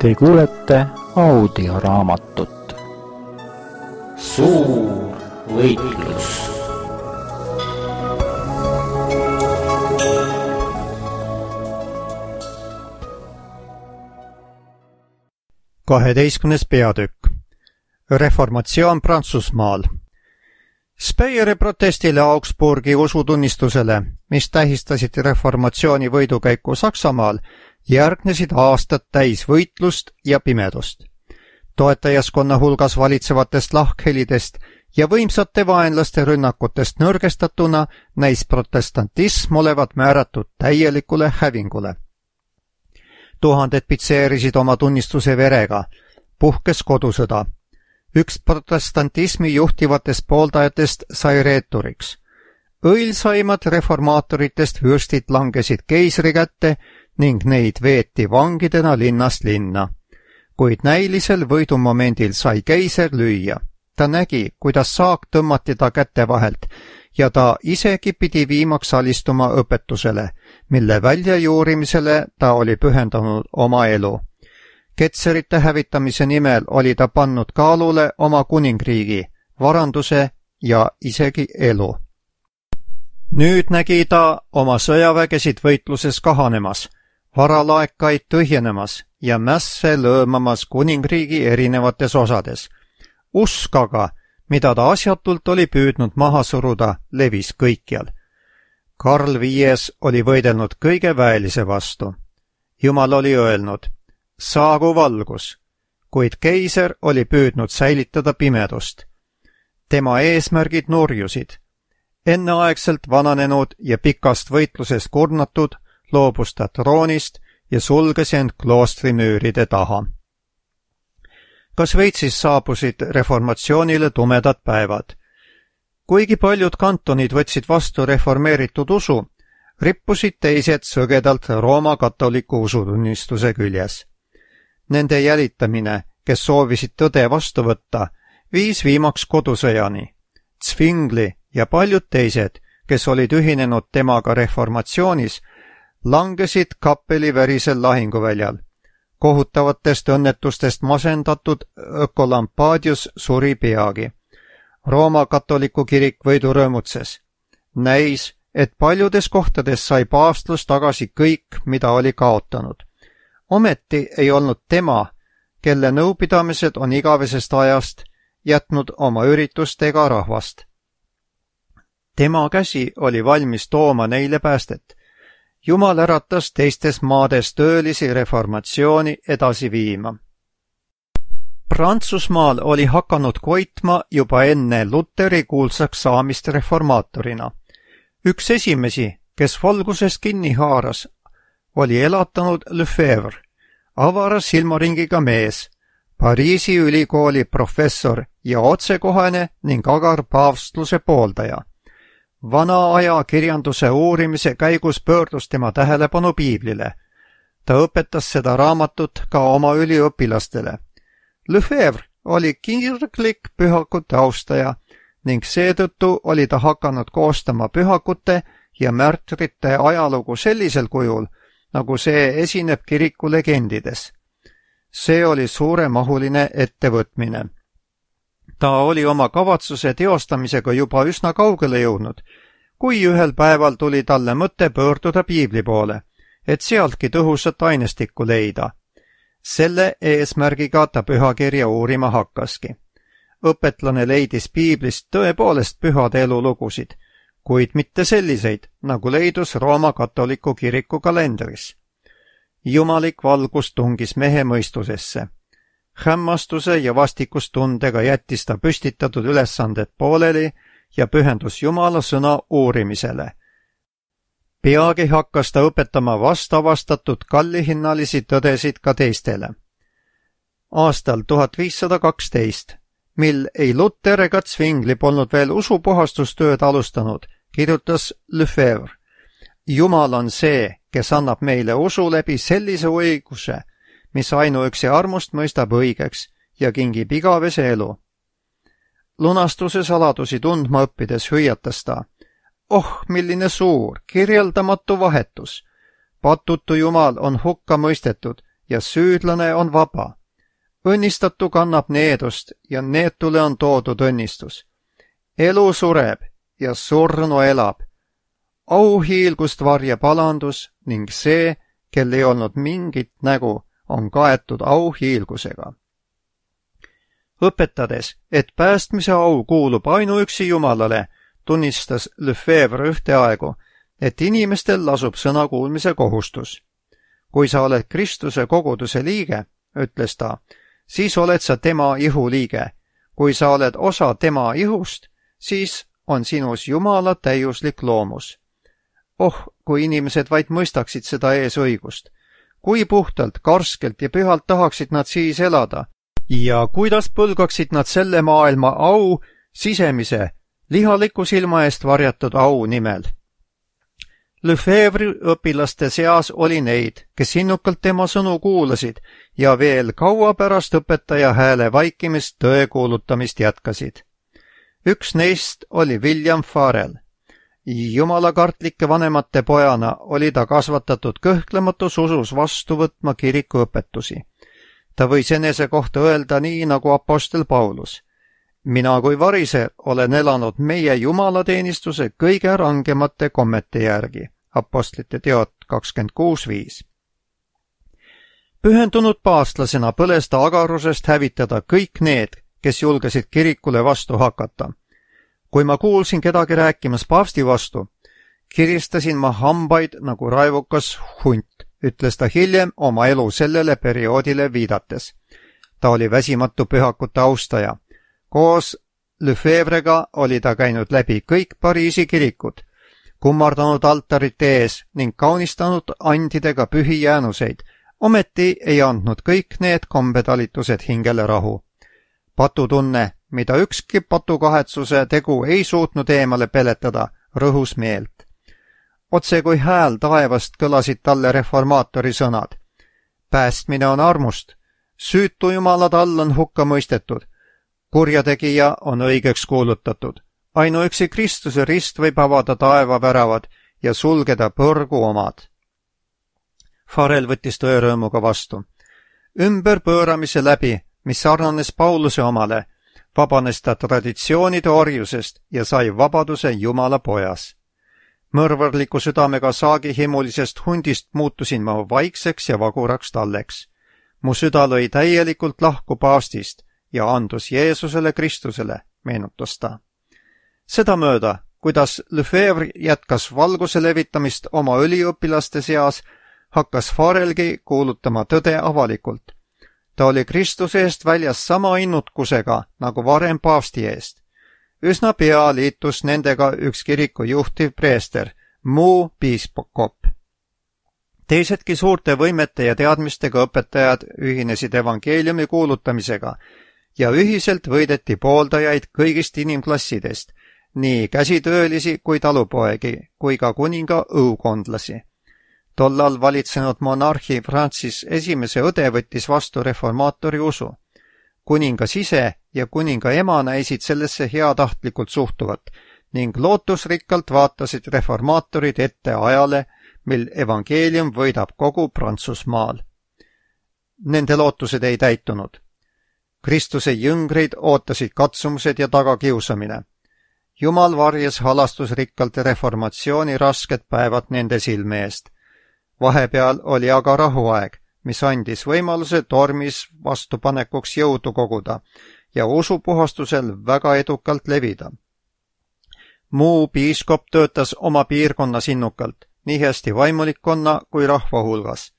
Te kuulete audioraamatut Suur võitlus. Kaheteistkümnes peatükk. Reformatsioon Prantsusmaal. Speyeri protestile Augsburgi usutunnistusele, mis tähistasid reformatsiooni võidukäiku Saksamaal, järgnesid aastad täis võitlust ja pimedust. Toetajaskonna hulgas valitsevatest lahkhelidest ja võimsate vaenlaste rünnakutest nõrgestatuna näis protestantism olevat määratud täielikule hävingule. Tuhanded pitseerisid oma tunnistuse verega, puhkes kodusõda. Üks protestantismi juhtivatest pooldajatest sai reeturiks. Õilsaimad reformaatoritest vürstid langesid keisri kätte ning neid veeti vangidena linnast linna. Kuid näilisel võidumomendil sai keiser lüüa. Ta nägi, kuidas saak tõmmati ta käte vahelt ja ta isegi pidi viimaks alistuma õpetusele, mille väljajuurimisele ta oli pühendanud oma elu. Ketserite hävitamise nimel oli ta pannud kaalule oma kuningriigi, varanduse ja isegi elu. Nüüd nägi ta oma sõjavägesid võitluses kahanemas, varalaekaid tühjenemas ja mässe lõõmamas kuningriigi erinevates osades. Usk aga, mida ta asjatult oli püüdnud maha suruda, levis kõikjal. Karl V oli võidelnud kõige väelise vastu. Jumal oli öelnud, saagu valgus, kuid keiser oli püüdnud säilitada pimedust. Tema eesmärgid nurjusid. Enneaegselt vananenud ja pikast võitlusest kurnatud, loobus ta troonist ja sulges end kloostrimüüride taha. Ka Šveitsis saabusid reformatsioonile tumedad päevad. Kuigi paljud kantonid võtsid vastu reformeeritud usu, rippusid teised sõgedalt Rooma katoliku usutunnistuse küljes. Nende jälitamine, kes soovisid tõde vastu võtta, viis viimaks kodusõjani. Zwingli ja paljud teised, kes olid ühinenud temaga reformatsioonis, langesid Kappeli verisel lahinguväljal. Kohutavatest õnnetustest masendatud Ökolampadius suri peagi. Rooma katoliku kirik võidu rõõmutses. Näis, et paljudes kohtades sai paavstlus tagasi kõik, mida oli kaotanud. Ometi ei olnud tema, kelle nõupidamised on igavesest ajast, jätnud oma üritustega rahvast. Tema käsi oli valmis tooma neile päästet. Jumal äratas teistes maades töölisi reformatsiooni edasi viima. Prantsusmaal oli hakanud koitma juba enne Luteri kuulsaks saamist reformaatorina. Üks esimesi, kes valgusest kinni haaras, oli elatanud Lefebvre, avara silmaringiga mees, Pariisi ülikooli professor ja otsekohene ning agar paavstluse pooldaja. Vana aja kirjanduse uurimise käigus pöördus tema tähelepanu piiblile. Ta õpetas seda raamatut ka oma üliõpilastele. Lefebvre oli kirglik pühakute austaja ning seetõttu oli ta hakanud koostama pühakute ja märtrite ajalugu sellisel kujul, nagu see esineb kiriku legendides. See oli suuremahuline ettevõtmine. Ta oli oma kavatsuse teostamisega juba üsna kaugele jõudnud, kui ühel päeval tuli talle mõte pöörduda piibli poole, et sealtki tõhusat ainestikku leida. Selle eesmärgiga ta pühakirja uurima hakkaski. Õpetlane leidis piiblist tõepoolest pühade elulugusid, kuid mitte selliseid, nagu leidus Rooma katoliku kiriku kalendris. Jumalik valgus tungis mehe mõistusesse. Hämmastuse ja vastikustundega jättis ta püstitatud ülesanded pooleli ja pühendus Jumala sõna uurimisele. Peagi hakkas ta õpetama vastavastatud kallihinnalisi tõdesid ka teistele. Aastal 1512, mil ei Luter ega Zwingli polnud veel usupuhastustööd alustanud, kirjutas Lefebvre, Jumal on see, kes annab meile usu läbi sellise õiguse, mis ainuüksi armust mõistab õigeks ja kingib igavese elu. Lunastuse saladusi tundma õppides hüüatas ta, milline suur, kirjeldamatu vahetus. Patutu Jumal on hukka mõistetud ja süüdlane on vaba. Õnnistatu kannab needust ja neetule on toodud õnnistus. Elu sureb ja surnu elab. Auhiilgust varjab alandus ning see, kel ei olnud mingit nägu, on kaetud auhiilgusega. Õpetades, et päästmise au kuulub ainuüksi Jumalale, tunnistas Lefebvre ühteaegu, et inimestel lasub sõna kuulmise kohustus. Kui sa oled Kristuse koguduse liige, ütles ta, siis oled sa tema ihu liige. Kui sa oled osa tema ihust, siis on sinus Jumala täiuslik loomus. Oh, kui inimesed vaid mõistaksid seda eesõigust. Kui puhtalt, karskelt ja pühalt tahaksid nad siis elada ja kuidas põlgaksid nad selle maailma au sisemise, lihaliku silma eest varjatud au nimel. Lefebvre'i õpilaste seas oli neid, kes innukalt tema sõnu kuulasid ja veel kaua pärast õpetaja hääle vaikimist tõe kuulutamist jätkasid. Üks neist oli William Farel. Jumalakartlike vanemate pojana oli ta kasvatatud kõhklematus usus vastu võtma kiriku õpetusi. Ta võis enese kohta öelda nii nagu apostel Paulus. Mina kui variser olen elanud meie jumalateenistuse kõige rangemate kommete järgi. Apostlite teod 26.5. Pühendunud paavstlasena põles ta agarusest hävitada kõik need, kes julgesid kirikule vastu hakata. Kui ma kuulsin kedagi rääkimas paavsti vastu, kiristasin ma hambaid nagu raivukas hunt, ütles ta hiljem oma elu sellele perioodile viidates. Ta oli väsimatu pühakute austaja. Koos Lefebvre'ga oli ta käinud läbi kõik Pariisi kirikud, kummardanud altarite ees ning kaunistanud andidega pühi jäänuseid, ometi ei andnud kõik need kombetalitused hingele rahu. Patutunne, mida ükski patukahetsuse tegu ei suutnud eemale peletada, rõhus meelt. Otse kui hääl taevast kõlasid talle reformaatori sõnad. Päästmine on armust, süütu jumalad all on hukka mõistetud, kurjategija on õigeks kuulutatud. Ainuüksi Kristuse rist võib avada taevaväravad ja sulgeda põrgu omad. Farel võttis tõerõõmuga vastu. Ümberpööramise läbi, mis sarnanes Pauluse omale, vabanes ta traditsioonide orjusest ja sai vabaduse Jumala pojas. Mõrvarliku südamega saagihimulisest hundist muutusin ma vaikseks ja vaguraks talleks. Mu süda lõi täielikult lahku paavstist ja andus Jeesusele Kristusele, meenutas ta. Sedamööda, kuidas Lefebvre jätkas valguse levitamist oma üliõpilaste seas, hakkas Farelgi kuulutama tõde avalikult. Ta oli Kristuse eest väljas sama innutkusega nagu varem paavsti eest. Üsna pea liitus nendega üks kiriku juhtiv preester, muu piiskop. Teisedki suurte võimete ja teadmistega õpetajad ühinesid evangeeliumi kuulutamisega ja ühiselt võideti pooldajaid kõigist inimklassidest, nii käsitöölisi kui talupoegi, kui ka kuninga õukondlasi. Tollal valitsenud monarhi Francis esimese õde võttis vastu reformaatori usu. Kuningas ise ja kuninga ema näisid sellesse heatahtlikult suhtuvat ning lootusrikkalt vaatasid reformaatorid ette ajale, mil evangeelium võidab kogu Prantsusmaal. Nende lootused ei täitunud. Kristuse jüngreid ootasid katsumused ja tagakiusamine. Jumal varjas halastusrikkalt reformatsiooni rasked päevad nende silme eest. Vahepeal oli aga rahuaeg, mis andis võimaluse tormis vastupanekuks jõudu koguda ja usupuhastusel väga edukalt levida. Muu piiskop töötas oma piirkonnas innukalt, nii hästi vaimulikkonna kui rahva hulgas.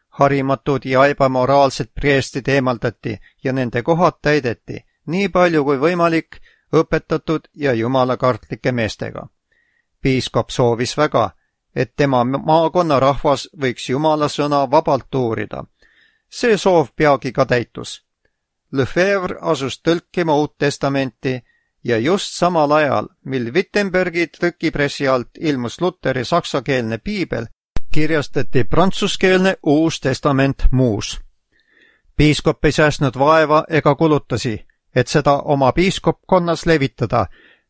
Harimatud ja ebamoraalsed preestid eemaldati ja nende kohad täideti, nii palju kui võimalik, õpetatud ja jumalakartlike meestega. Piiskop soovis väga, et tema maakonna rahvas võiks Jumala sõna vabalt uurida. See soov peagi ka täitus. Lefebvre asus tõlkima Uut Testamenti ja just samal ajal, mil Wittenbergi trükipressi alt ilmus Luteri saksakeelne piibel, kirjastati prantsuskeelne Uus Testament muus. Piiskop ei säästnud vaeva ega kulutasi, et seda oma piiskopkonnas levitada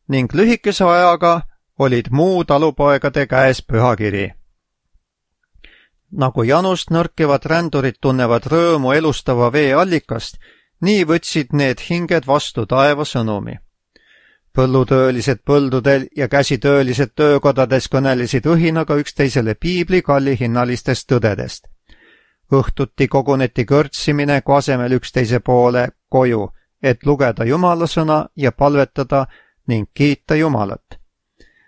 ning lühikese ajaga olid muu talupoegade käes pühakiri. Nagu janust nõrkivad rändurid tunnevad rõõmu elustava vee allikast, nii võtsid need hinged vastu taeva sõnumi. Põllutöölised põldudel ja käsitöölised töökodades kõnelesid õhinaga üksteisele piibli kallihinnalistest tõdedest. Õhtuti koguneti kõrtsimineku asemel üksteise poole koju, et lugeda Jumala sõna ja palvetada ning kiita Jumalat.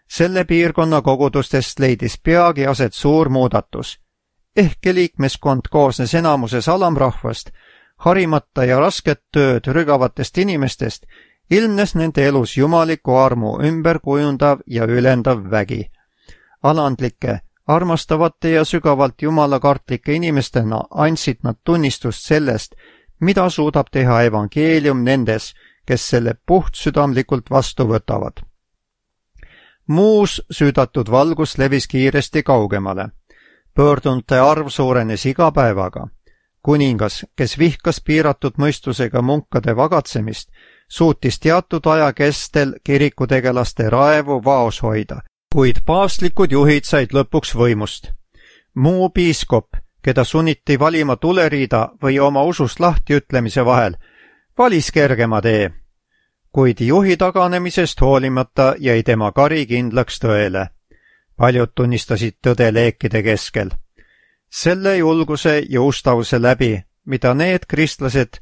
Selle piirkonna kogudustest leidis peagi aset suur muudatus. Ehkki liikmeskond koosnes enamuses alamrahvast, harimata ja rasket tööd rügavatest inimestest, ilmnes nende elus jumaliku armu ümberkujundav ja ülendav vägi. Alandlike, armastavate ja sügavalt jumalakartlike inimestena andsid nad tunnistust sellest, mida suudab teha evangeelium nendes, kes selle puhtsüdamlikult vastu võtavad. Muus süüdatud valgus levis kiiresti kaugemale. Pöördunute arv suurenes iga päevaga. Kuningas, kes vihkas piiratud mõistusega munkade vagatsemist, suutis teatud aja kestel kirikutegelaste raevu vaos hoida, kuid paavstlikud juhid said lõpuks võimust. Muu piiskop, keda sunniti valima tuleriida või oma usust lahtiütlemise vahel, valis kergema tee, kuid juhi taganemisest hoolimata jäi tema kari kindlaks tõele. Paljud tunnistasid tõde leekide keskel. Selle julguse ja ustavuse läbi, mida need kristlased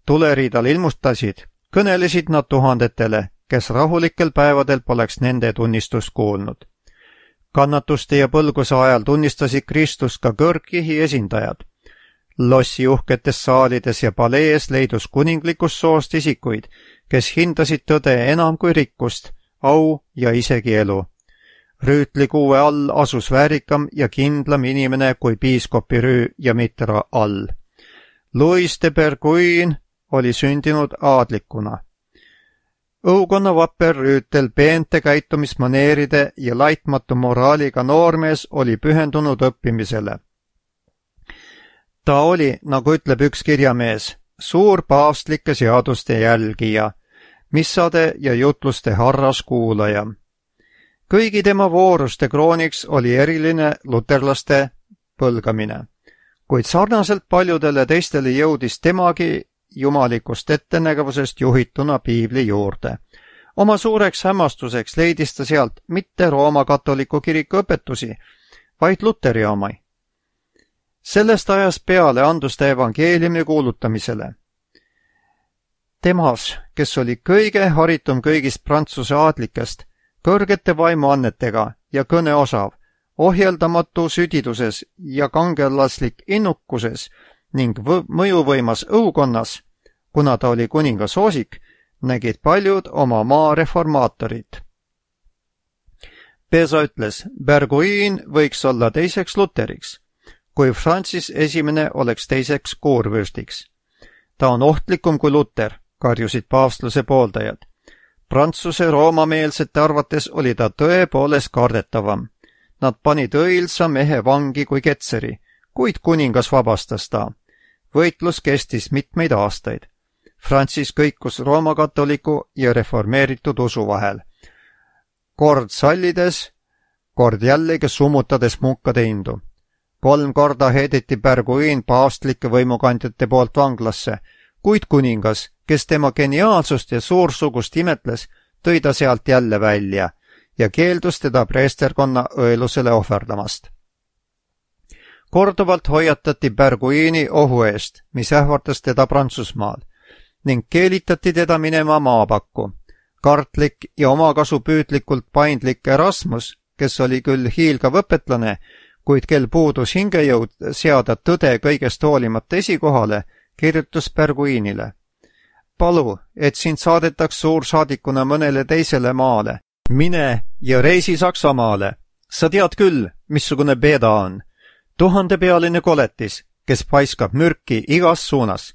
tuleriidal ilmustasid, kõnelesid nad tuhandetele, kes rahulikel päevadel poleks nende tunnistust kuulnud. Kannatuste ja põlguse ajal tunnistasid Kristust ka kõrgkihi esindajad. Lossi uhketes saalides ja palees leidus kuninglikust soost isikuid, kes hindasid tõde enam kui rikkust, au ja isegi elu. Rüütlikuue all asus väärikam ja kindlam inimene kui piiskopi Rüü ja Mitra all. Louis de Berguin oli sündinud aadlikuna. Õukonna vapper rüütel peente käitumismaneeride ja laitmatu moraaliga noormees oli pühendunud õppimisele. Ta oli, nagu ütleb üks kirjamees, suur paavstlike seaduste jälgija, missade ja jutluste harras kuulaja. Kõigi tema vooruste krooniks oli eriline luterlaste põlgamine, kuid sarnaselt paljudele teistele jõudis temagi jumalikust ettenägevusest juhituna piibli juurde. Oma suureks hämmastuseks leidis ta sealt mitte Rooma katoliku kiriku õpetusi, vaid Luteri omai. Sellest ajast peale andus ta evangeeliumi kuulutamisele. Temas, kes oli kõige haritum kõigist Prantsuse aadlikest, kõrgete vaimuannetega ja kõneosav, ohjeldamatu südiduses ja kangelaslik innukuses ning mõjuvõimas õukonnas, kuna ta oli kuninga soosik, nägid paljud oma maa reformaatorid. Pesa ütles, Berguin võiks olla teiseks Luteriks, kui Francis esimene oleks teiseks kuurvürstiks. Ta on ohtlikum kui Luter, karjusid paavstluse pooldajad. Prantsuse roomameelsete arvates oli ta tõepoolest kardetavam. Nad panid õilsa mehe vangi kui ketseri, kuid kuningas vabastas ta. Võitlus kestis mitmeid aastaid. Francis kõikus roomakatoliku ja reformeeritud usu vahel. Kord sallides, kord jällegi summutades munkade indu. 3 korda heideti Berguin paavstlike võimukandjate poolt vanglasse, kuid kuningas, kes tema geniaalsust ja suursugust imetles, tõi ta sealt jälle välja ja keeldus teda preesterkonna õelusele ohverdamast. Korduvalt hoiatati Berguini ohu eest, mis ähvardas teda Prantsusmaal, ning keelitati teda minema maapakku. Kartlik ja omakasupüüdlikult paindlik Erasmus, kes oli küll hiilgav õpetlane, kuid kel puudus hingejõud seada tõde kõigest hoolimata esikohale, kirjutas Berguinile. Palu, et sind saadetaks suursaadikuna mõnele teisele maale. Mine ja reisi Saksamaale. Sa tead küll, missugune beeda on. 1000-pealine koletis, kes paiskab mürki igas suunas.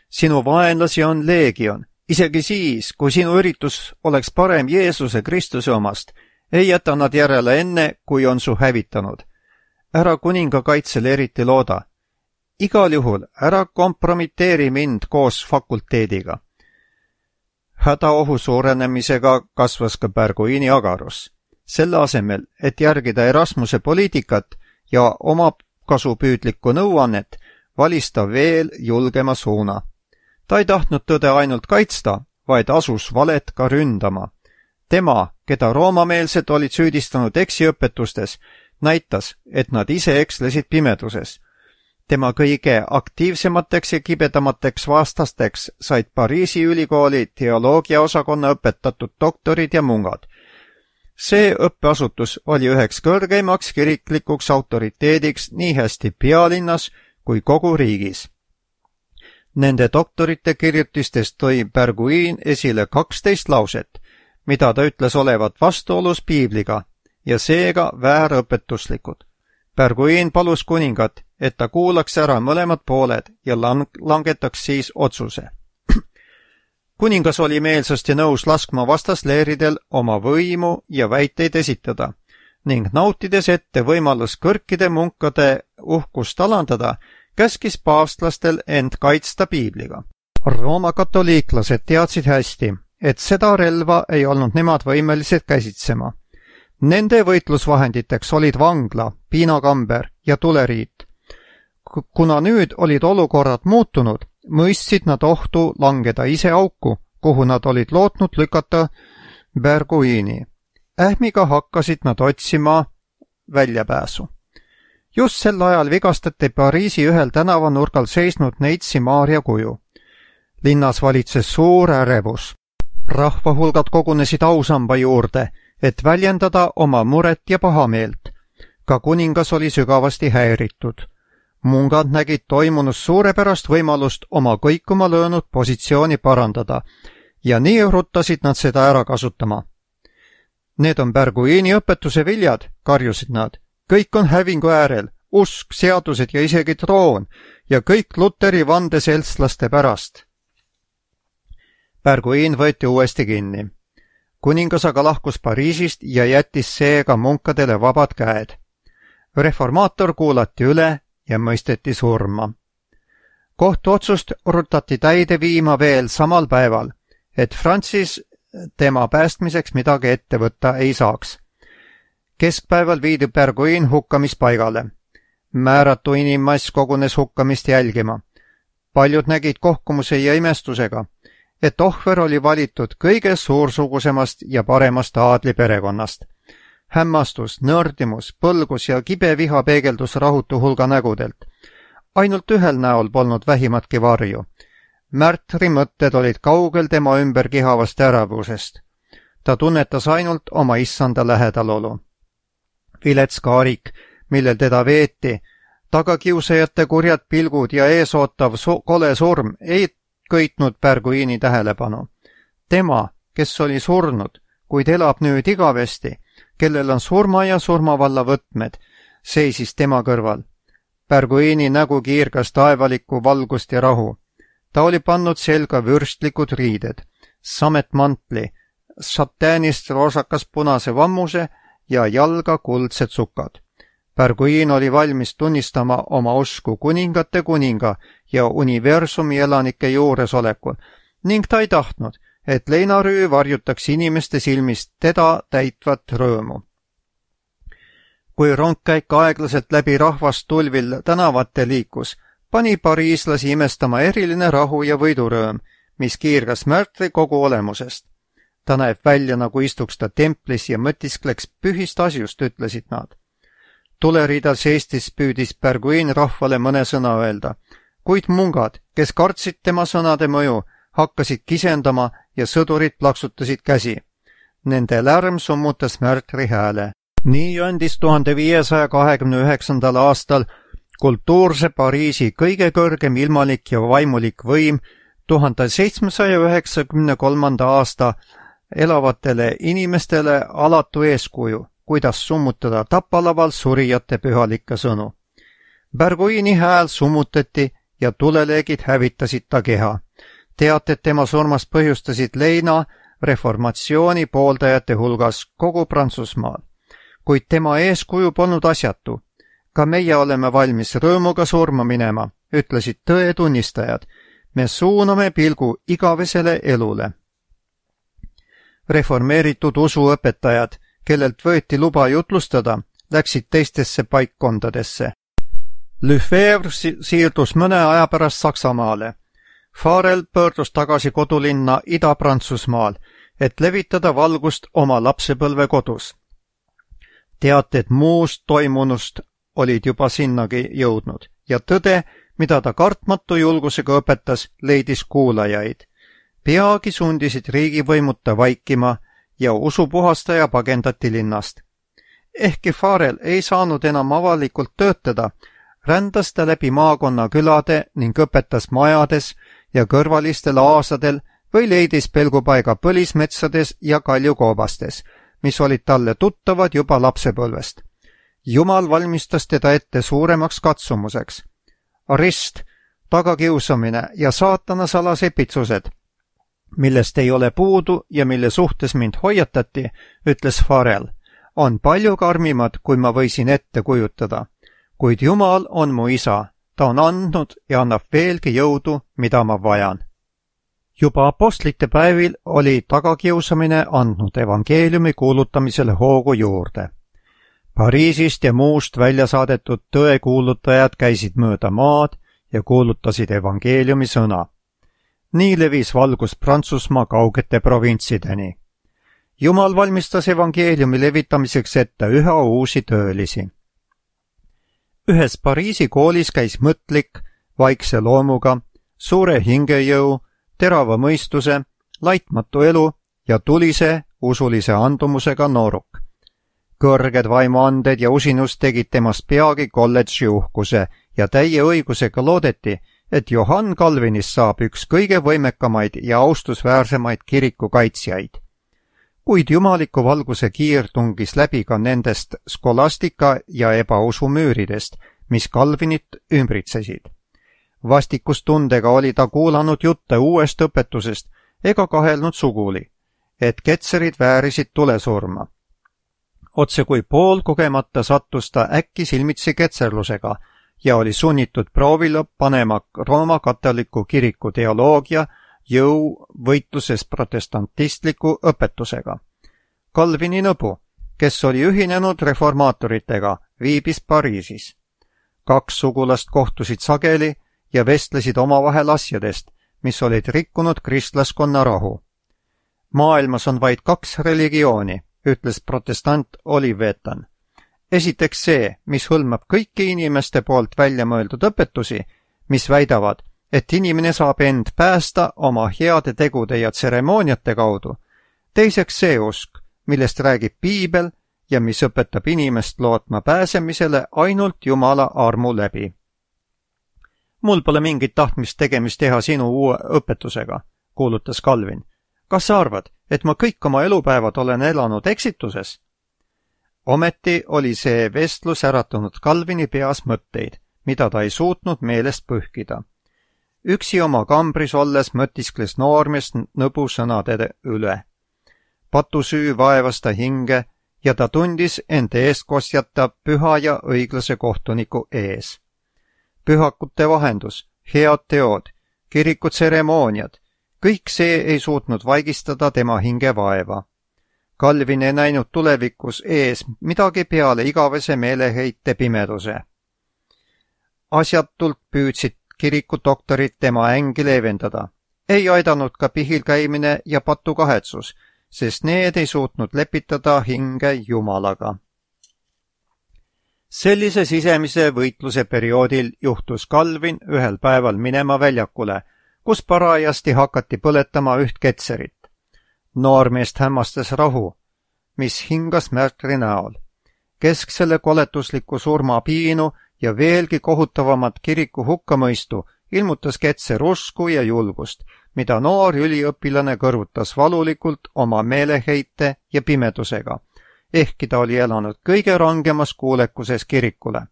Sinu vaenlasi on leegion. Isegi siis, kui sinu üritus oleks parem Jeesuse Kristuse omast, ei jäta nad järele enne, kui on su hävitanud. Ära kuninga kaitsele eriti looda. Igal juhul ära kompromiteeri mind koos fakulteediga. Hädaohu suurenemisega kasvas ka Berguini agarus. Selle asemel, et järgida Erasmuse poliitikat ja oma kasupüüdlikku nõuannet, valis ta veel julgema suuna. Ta ei tahtnud tõde ainult kaitsta, vaid asus valet ka ründama. Tema, keda roomameelsed olid süüdistanud eksiõpetustes, näitas, et nad ise ekslesid pimeduses. Tema kõige aktiivsemateks ja kibedamateks vastasteks said Pariisi ülikooli teoloogiaosakonna õpetatud doktorid ja mungad. See õppeasutus oli üheks kõrgeimaks kiriklikuks autoriteediks nii hästi pealinnas kui kogu riigis. Nende doktorite kirjutistest tõi Berguin esile 12 lauset, mida ta ütles olevat vastuolus piibliga ja seega väärõpetuslikud. Berguin palus kuningat, et ta kuulaks ära mõlemad pooled ja langetaks siis otsuse. Kuningas oli meelsasti nõus laskma vastasleeridel oma võimu ja väiteid esitada ning nautides ette võimalus kõrkide munkade uhkust alandada, käskis paavstlastel end kaitsta piibliga. Rooma katoliiklased teadsid hästi, et seda relva ei olnud nemad võimelised käsitsema. Nende võitlusvahenditeks olid vangla, piinakamber ja tuleriit. Kuna nüüd olid olukorrad muutunud, mõistsid nad ohtu langeda ise auku, kuhu nad olid lootnud lükata Berguini. Ähmiga hakkasid nad otsima väljapääsu. Just sel ajal vigastati Pariisi ühel tänavanurgal seisnud neitsi Maarja kuju. Linnas valitses suur ärevus. Rahvahulgad kogunesid ausamba juurde, et väljendada oma muret ja pahameelt. Ka kuningas oli sügavasti häiritud. Mungad nägid toimunust suurepärast võimalust oma kõikuma löönud positsiooni parandada ja nii rutasid nad seda ära kasutama. Need on Berguini õpetuse viljad, karjusid nad. Kõik on hävingu äärel, usk, seadused ja isegi troon ja kõik Luteri vandeseltslaste pärast. Berguin võeti uuesti kinni. Kuningas aga lahkus Pariisist ja jättis seega munkadele vabad käed. Reformaator kuulati üle ja mõisteti surma. Kohtuotsust rutati täide viima veel samal päeval, et Francis tema päästmiseks midagi ette võtta ei saaks. Keskpäeval viidi Berguin hukkamispaigale. Määratu inimmass kogunes hukkamist jälgima. Paljud nägid kohkumuse ja imestusega, et ohver oli valitud kõige suursugusemast ja paremast aadliperekonnast. Hämmastus, nördimus, põlgus ja kibe viha peegeldus rahutu hulga nägudelt. Ainult ühel näol polnud vähimatki varju. Märtri mõtted olid kaugel tema ümber kihavast äravusest. Ta tunnetas ainult oma issanda lähedalolu. Vilets kaarik, millel teda veeti, tagakiusajate kurjad pilgud ja eesootav kole surm ei köitnud Berguini tähelepanu. Tema, kes oli surnud, kuid elab nüüd igavesti, kellel on surma ja surmavalla võtmed, seisis tema kõrval. Berguini nägu kiirgas taevalikku valgust ja rahu. Ta oli pannud selga vürstlikud riided, sametmantli, šatäänist roosakas punase vammuse ja jalga kuldsed sukad. Berguin oli valmis tunnistama oma usku kuningate kuninga ja universumi elanike juuresolekul ning ta ei tahtnud, et leinarüü varjutaks inimeste silmist teda täitvat rõõmu. Kui rongkäik aeglaselt läbi rahvast tulvil tänavate liikus, pani pariislasi imestama eriline rahu ja võidurõõm, mis kiirgas Märtri kogu olemusest. Ta näeb välja, nagu istuks ta templis ja mõtiskleks pühist asjust, ütlesid nad. Tuleriidal seistis püüdis Berguin rahvale mõne sõna öelda, kuid mungad, kes kartsid tema sõnade mõju, hakkasid kisendama ja sõdurid plaksutasid käsi. Nende lärm summutas Märtri hääle. Nii andis 1529. aastal kultuurse Pariisi kõige kõrgem ilmalik ja vaimulik võim 1793. aasta elavatele inimestele alatu eeskuju, kuidas summutada tapalaval surijate pühalikke sõnu. Berguini hääl summutati ja tuleleegid hävitasid ta keha. Teated tema surmast põhjustasid leina reformatsiooni pooldajate hulgas kogu Prantsusmaal. Kuid tema eeskuju polnud asjatu. Ka meie oleme valmis rõõmuga surma minema, ütlesid tõe tunnistajad. Me suuname pilgu igavesele elule. Reformeeritud usuõpetajad, kellelt võeti luba jutlustada, läksid teistesse paikkondadesse. Lefebvre siirdus mõne aja pärast Saksamaale. Farel pöördus tagasi kodulinna Ida-Prantsusmaal, et levitada valgust oma lapsepõlve kodus. Teated muust toimunust olid juba sinnagi jõudnud ja tõde, mida ta kartmatu julgusega õpetas, leidis kuulajaid. Peagi sundisid riigivõimud ta vaikima ja usupuhastaja pagendati linnast. Ehkki Farel ei saanud enam avalikult töötada, rändas ta läbi maakonna külade ning õpetas majades ja kõrvalistel aasadel või leidis pelgupaiga põlismetsades ja kaljukoobastes, mis olid talle tuttavad juba lapsepõlvest. Jumal valmistas teda ette suuremaks katsumuseks. Arist, tagakiusamine ja saatana salasepitsused, millest ei ole puudu ja mille suhtes mind hoiatati, ütles Farel, on palju karmimad, kui ma võisin ette kujutada. Kuid Jumal on mu isa, ta on andnud ja annab veelgi jõudu, mida ma vajan. Juba apostlite päevil oli tagakiusamine andnud evangeeliumi kuulutamisele hoogu juurde. Pariisist ja muust välja saadetud tõekuulutajad käisid mööda maad ja kuulutasid evangeeliumi sõna. Nii levis valgus Prantsusmaa kaugete provintsideni. Jumal valmistas evangeeliumi levitamiseks ette üha uusi töölisi. Ühes Pariisi koolis käis mõtlik, vaikse loomuga, suure hingejõu, terava mõistuse, laitmatu elu ja tulise, usulise andumusega nooruk. Kõrged vaimuanded ja usinus tegid temast peagi kolledži uhkuse ja täie õigusega loodeti, et Johann Calvinist saab üks kõige võimekamaid ja austusväärsemaid kiriku kaitsjaid. Kuid jumaliku valguse kiir tungis läbi ka nendest skolastika ja ebausu müüridest, mis Calvinit ümbritsesid. Vastikustundega oli ta kuulanud jutte uuest õpetusest ega kahelnud suguli, et ketserid väärisid tulesurma. Otse kui poolkogemata sattus ta äkki silmitsi ketserlusega ja oli sunnitud proovile panema Rooma katoliku kiriku teoloogia jõu võitluses protestantistliku õpetusega. Calvini nõbu, kes oli ühinenud reformaatoritega, viibis Pariisis. 2 sugulast kohtusid sageli ja vestlesid omavahel asjadest, mis olid rikkunud kristlaskonna rahu. Maailmas on vaid 2 religiooni, ütles protestant Olivetan. Esiteks see, mis hõlmab kõiki inimeste poolt välja mõeldud õpetusi, mis väidavad, et inimene saab end päästa oma heade tegude ja tseremooniate kaudu. Teiseks see usk, millest räägib Piibel ja mis õpetab inimest lootma pääsemisele ainult Jumala armu läbi. Mul pole mingit tahtmist tegemist teha sinu uue õpetusega, kuulutas Calvin. Kas sa arvad, et ma kõik oma elupäevad olen elanud eksituses? Ometi oli see vestlus äratanud Calvini peas mõtteid, mida ta ei suutnud meelest pühkida. Üksi oma kambris olles mõtiskles noormees nõbu sõnade üle. Patusüü vaevas ta hinge ja ta tundis end eestkostjata püha ja õiglase kohtuniku ees. Pühakute vahendus, head teod, kiriku tseremooniad, kõik see ei suutnud vaigistada tema hinge vaeva. Calvin ei näinud tulevikus ees midagi peale igavese meeleheite pimeduse. Asjatult püüdsid kirikudoktorid tema ängi leevendada. Ei aidanud ka pihil käimine ja patukahetsus, sest need ei suutnud lepitada hinge Jumalaga. Sellise sisemise võitluse perioodil juhtus Calvin ühel päeval minema väljakule, kus parajasti hakati põletama üht ketserit. Noormeest hämmastas rahu, mis hingas märtri näol. Kesksele koletusliku surma piinu ja veelgi kohutavamat kiriku hukkamõistu ilmutas ketser usku ja julgust, mida noor üliõpilane kõrvutas valulikult oma meeleheite ja pimedusega, ehkki ta oli elanud kõige rangemas kuulekuses kirikule.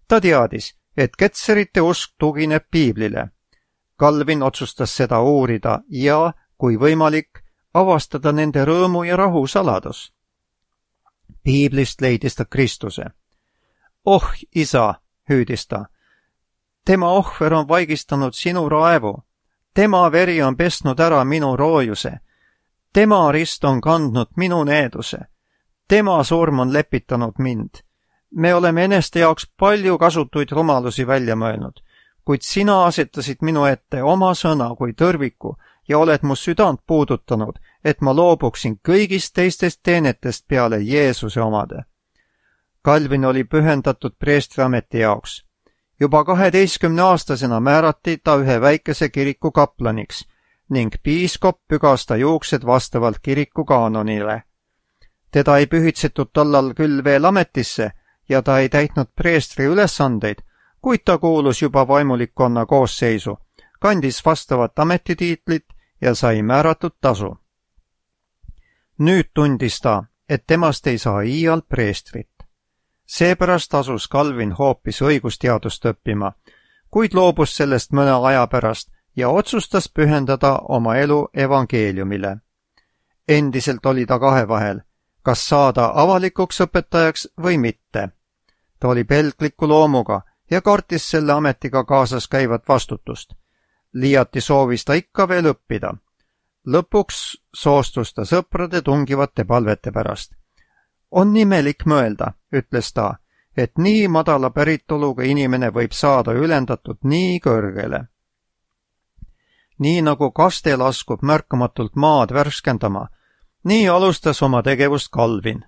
Ta teadis, et ketserite usk tugineb Piiblile. Calvin otsustas seda uurida ja, kui võimalik, avastada nende rõõmu ja rahu saladus. Piiblist leidis ta Kristuse. Oh, isa, hüüdis ta, tema ohver on vaigistanud sinu raevu, tema veri on pesnud ära minu roojuse, tema rist on kandnud minu needuse, tema surm on lepitanud mind. me oleme eneste jaoks palju kasutuid rumalusi välja mõelnud, kuid sina asetasid minu ette oma sõna kui tõrviku ja oled mu südant puudutanud, et ma loobuksin kõigist teistest teenetest peale Jeesuse omade. Calvin oli pühendatud preestriameti jaoks. Juba 12-aastasena määrati ta ühe väikese kiriku kaplaniks ning piiskop pügas ta juuksed vastavalt kiriku kaanonile. Teda ei pühitsetud tollal küll veel ametisse ja ta ei täitnud preestri ülesandeid, kuid ta kuulus juba vaimulikkonna koosseisu, kandis vastavat ametitiitlit ja sai määratud tasu. Nüüd tundis ta, et temast ei saa iial preestrit. Seepärast asus Calvin hoopis õigusteadust õppima, kuid loobus sellest mõne aja pärast ja otsustas pühendada oma elu evangeeliumile. Endiselt oli ta kahe vahel, kas saada avalikuks õpetajaks või mitte. Ta oli pelgliku loomuga ja kartis selle ametiga kaasas käivat vastutust. Liiati soovis ta ikka veel õppida. Lõpuks soostus ta sõprade tungivate palvete pärast. On imelik mõelda, ütles ta, et nii madala päritoluga inimene võib saada ülendatud nii kõrgele. Nii nagu kaste laskub märkamatult maad värskendama, nii alustas oma tegevust Calvin.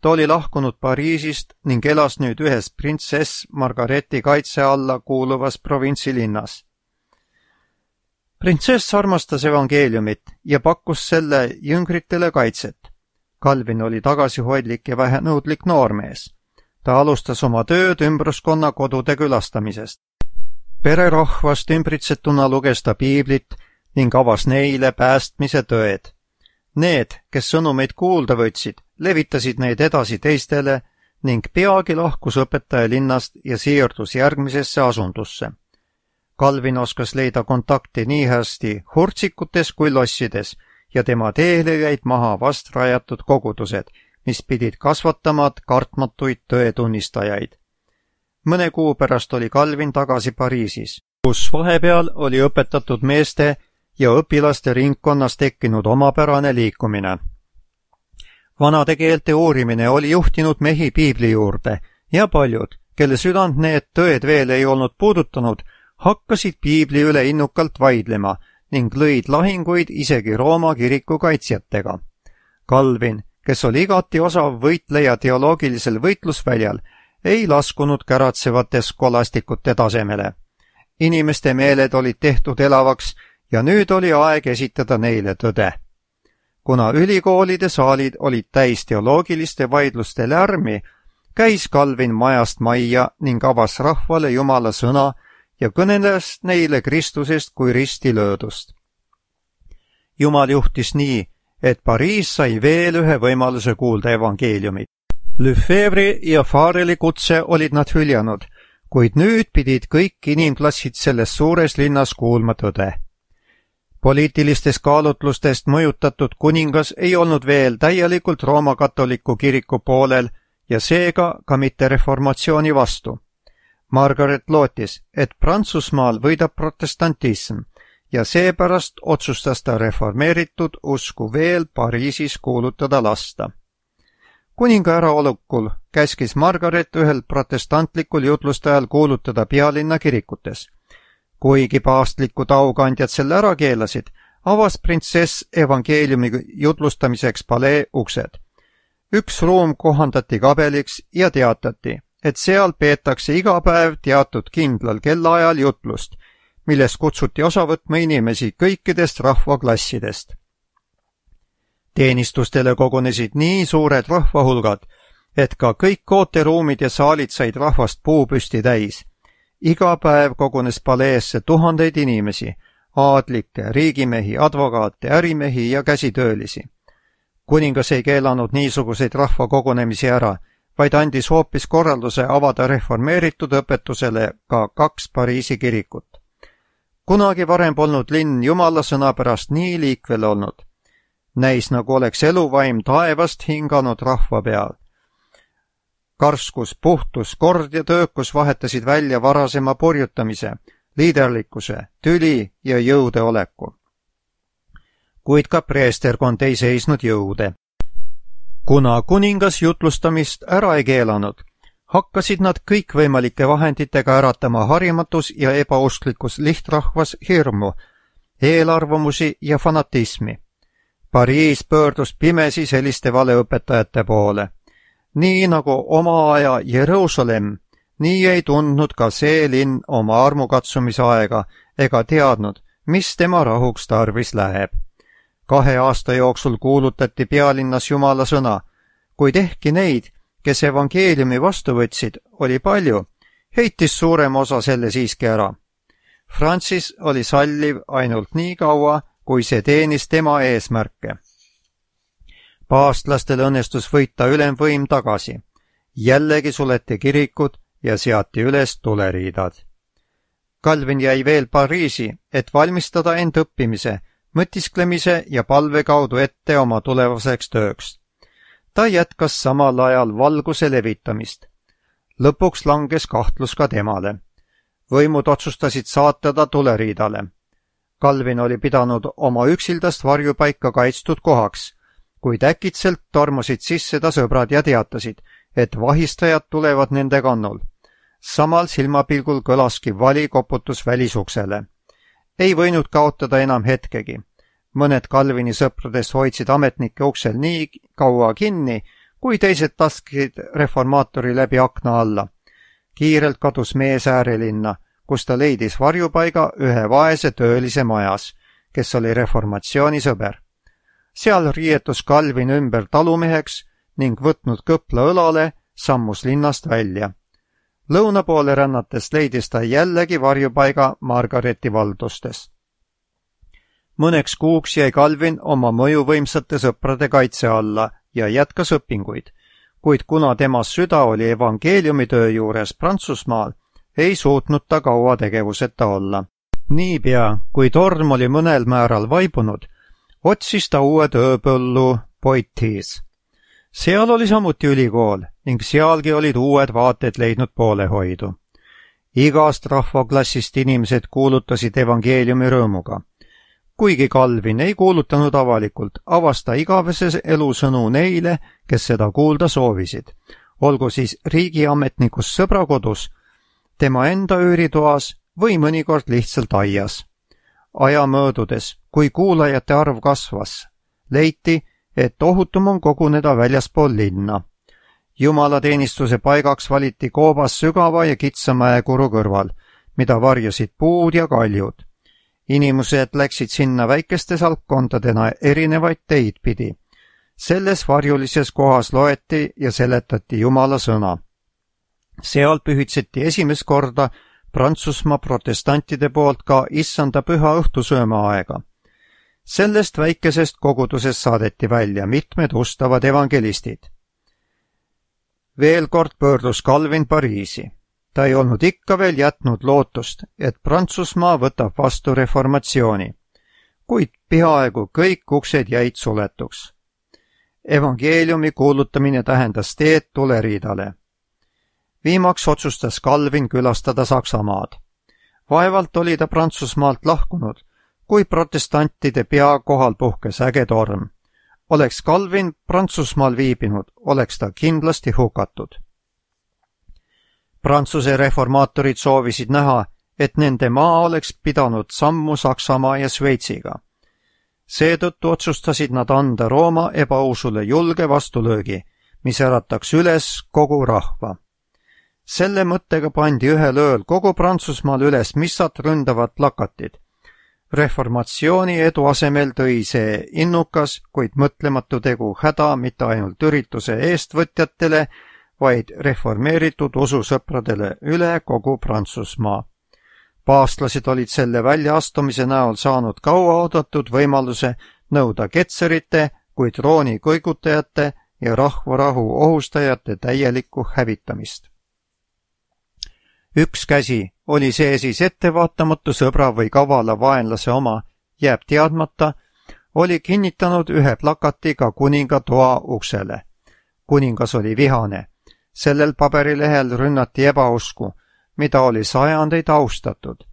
Ta oli lahkunud Pariisist ning elas nüüd ühes printsess Margareti kaitse alla kuuluvas provintsilinnas. Printsess armastas evangeeliumit ja pakkus selle jüngritele kaitset. Calvin oli tagasihoidlik ja vähenõudlik noormees. Ta alustas oma tööd ümbruskonna kodude külastamisest. Pererahvast ümbritsetuna luges ta piiblit ning avas neile päästmise tõed. Need, kes sõnumeid kuulda võtsid, levitasid neid edasi teistele ning peagi lahkus õpetaja linnast ja siirdus järgmisesse asundusse. Calvin oskas leida kontakti nii hästi hurtsikutes kui lossides ja tema teele jäid maha vast rajatud kogudused, mis pidid kasvatama kartmatuid tõetunnistajaid. Mõne kuu pärast oli Calvin tagasi Pariisis, kus vahepeal oli õpetatud meeste ja õpilaste ringkonnas tekkinud omapärane liikumine. Vanade keelte uurimine oli juhtinud mehi piibli juurde ja paljud, kelle südant need tõed veel ei olnud puudutanud, hakkasid piibli üle innukalt vaidlema ning lõid lahinguid isegi Rooma kiriku kaitsjatega. Calvin, kes oli igati osav võitleja teoloogilisel võitlusväljal, ei laskunud käratsevate skolastikute tasemele. Inimeste meeled olid tehtud elavaks ja nüüd oli aeg esitada neile tõde. Kuna ülikoolide saalid olid täis teoloogiliste vaidluste lärmi, käis Calvin majast majja ning avas rahvale Jumala sõna ja kõneles neile Kristusest kui ristilöödust. Jumal juhtis nii, et Pariis sai veel ühe võimaluse kuulda evangeeliumit. Lefebvre'i ja Fareli kutse olid nad hüljanud, kuid nüüd pidid kõik inimklassid selles suures linnas kuulma tõde. Poliitilistest kaalutlustest mõjutatud kuningas ei olnud veel täielikult Rooma katoliku kiriku poolel ja seega ka mitte reformatsiooni vastu. Margaret lootis, et Prantsusmaal võidab protestantism ja seepärast otsustas ta reformeeritud usku veel Pariisis kuulutada lasta. Kuninga äraolekul käskis Margaret ühel protestantlikul jutlustajal kuulutada pealinna kirikutes. Kuigi paavstlikud aukandjad selle ära keelasid, avas printsess evangeeliumi jutlustamiseks palee uksed. Üks ruum kohandati kabeliks ja teatati, et seal peetakse iga päev teatud kindlal kellaajal jutlust, millest kutsuti osa võtma inimesi kõikidest rahvaklassidest. Teenistustele kogunesid nii suured rahvahulgad, et ka kõik ooteruumid ja saalid said rahvast puupüsti täis. Iga päev kogunes paleesse tuhandeid inimesi, aadlikke, riigimehi, advokaate, ärimehi ja käsitöölisi. Kuningas ei keelanud niisuguseid rahvakogunemisi ära, vaid andis hoopis korralduse avada reformeeritud õpetusele ka 2 Pariisi kirikut. Kunagi varem polnud linn Jumala sõna pärast nii liikvel olnud. Näis, nagu oleks eluvaim taevast hinganud rahva peal. Karskus, puhtus, kord ja töökus vahetasid välja varasema purjutamise, liiderlikkuse, tüli ja jõudeoleku. Kuid ka preesterkond ei seisnud jõude. Kuna kuningas jutlustamist ära ei keelanud, Hakkasid nad kõikvõimalike vahenditega äratama harimatus ja ebausklikus lihtrahvas hirmu, eelarvamusi ja fanatismi. Pariis pöördus pimesi selliste valeõpetajate poole. Nii nagu oma aja Jeruusalemm, nii ei tundnud ka see linn oma armukatsumise aega ega teadnud, mis tema rahuks tarvis läheb. 2 aasta jooksul kuulutati pealinnas Jumala sõna, kuid ehkki neid, kes evangeeliumi vastu võtsid, oli palju, heitis suurem osa selle siiski ära. Francis oli salliv ainult nii kaua, kui see teenis tema eesmärke. Paavstlastel õnnestus võita ülemvõim tagasi. Jällegi suleti kirikud ja seati üles tuleriidad. Calvin jäi veel Pariisi, et valmistada end õppimise, mõtisklemise ja palve kaudu ette oma tulevaseks tööks. Ta jätkas samal ajal valguse levitamist. Lõpuks langes kahtlus ka temale. Võimud otsustasid saata ta tuleriidale. Calvin oli pidanud oma üksildast varjupaika kaitstud kohaks, kuid äkitselt tormusid sisse ta sõbrad ja teatasid, et vahistajad tulevad nende kannul. Samal silmapilgul kõlaski vali koputus välisuksele. Ei võinud kaotada enam hetkegi. Mõned Calvini sõpradest hoidsid ametnike uksel nii kaua kinni, kui teised taskid reformaatori läbi akna alla. Kiirelt kadus mees äärelinna, kus ta leidis varjupaiga ühe vaese töölise majas, kes oli reformatsiooni sõber. Seal riietus Calvin ümber talumeheks ning võtnud kõpla õlale, sammus linnast välja. Lõuna poole rännates leidis ta jällegi varjupaiga Margareti valdustes. Mõneks kuuks jäi Calvin oma mõjuvõimsate sõprade kaitse alla ja jätkas õpinguid, kuid kuna tema süda oli evangeeliumitöö juures Prantsusmaal, ei suutnud ta kaua tegevuseta olla. Niipea, kui torm oli mõnel määral vaibunud, otsis ta uue tööpõllu Poitiers. Seal oli samuti ülikool ning sealgi olid uued vaated leidnud poolehoidu. Igast rahvaklassist inimesed kuulutasid evangeeliumi rõõmuga. Kuigi Calvin ei kuulutanud avalikult, avas ta igavese elusõnu neile, kes seda kuulda soovisid, olgu siis riigiametnikus sõbrakodus, tema enda üüritoas või mõnikord lihtsalt aias. Aja möödudes, kui kuulajate arv kasvas, leiti, et ohutum on koguneda väljaspool linna. Jumalateenistuse paigaks valiti koobas sügava ja kitsa mäekuru kõrval, mida varjasid puud ja kaljud. Inimesed läksid sinna väikeste salkkondadena erinevaid teid pidi. Selles varjulises kohas loeti ja seletati Jumala sõna. Seal pühitseti esimest korda Prantsusmaa protestantide poolt ka issanda püha õhtusööma aega. Sellest väikesest kogudusest saadeti välja mitmed ustavad evangelistid. Veel kord pöördus Calvin Pariisi. Ta ei olnud ikka veel jätnud lootust, et Prantsusmaa võtab vastu reformatsiooni, kuid peaaegu kõik uksed jäid suletuks. Evangeeliumi kuulutamine tähendas teed tuleriidale. Viimaks otsustas Calvin külastada Saksamaad. Vaevalt oli ta Prantsusmaalt lahkunud, kui protestantide pea kohal puhkes äge torm. Oleks Calvin Prantsusmaal viibinud, oleks ta kindlasti hukatud. Prantsuse reformaatorid soovisid näha, et nende maa oleks pidanud sammu Saksamaa ja Šveitsiga. Seetõttu otsustasid nad anda Rooma ebausule julge vastulöögi, mis ärataks üles kogu rahva. Selle mõttega pandi ühel ööl kogu Prantsusmaal üles missat ründavad plakatid. Reformatsiooni edu asemel tõi see innukas, kuid mõtlematu tegu häda mitte ainult ürituse eestvõtjatele, vaid reformeeritud ususõpradele üle kogu Prantsusmaa. Paavstlased olid selle väljaastumise näol saanud kauaoodatud võimaluse nõuda ketserite kui trooni kõigutajate ja rahvarahu ohustajate täielikku hävitamist. Üks käsi, oli see siis ettevaatamatu sõbra või kavala vaenlase oma, jääb teadmata, oli kinnitanud ühe plakatiga kuninga toa uksele. Kuningas oli vihane. Sellel paberilehel rünnati ebausku, mida oli sajandeid austatud.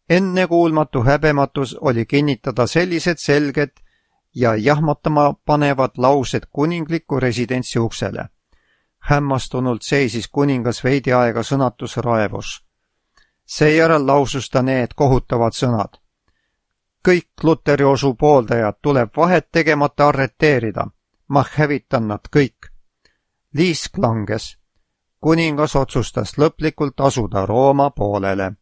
Ennekuulmatu häbematus oli kinnitada sellised selged ja jahmatama panevad laused kuningliku residentsi uksele. Hämmastunult seisis kuningas veidi aega sõnatus raevus. Seejärel lausus ta need kohutavad sõnad. Kõik Luteri usu pooldajad tuleb vahet tegemata arreteerida. Ma hävitan nad kõik. Liisk langes. Kuningas otsustas lõplikult asuda Rooma poolele.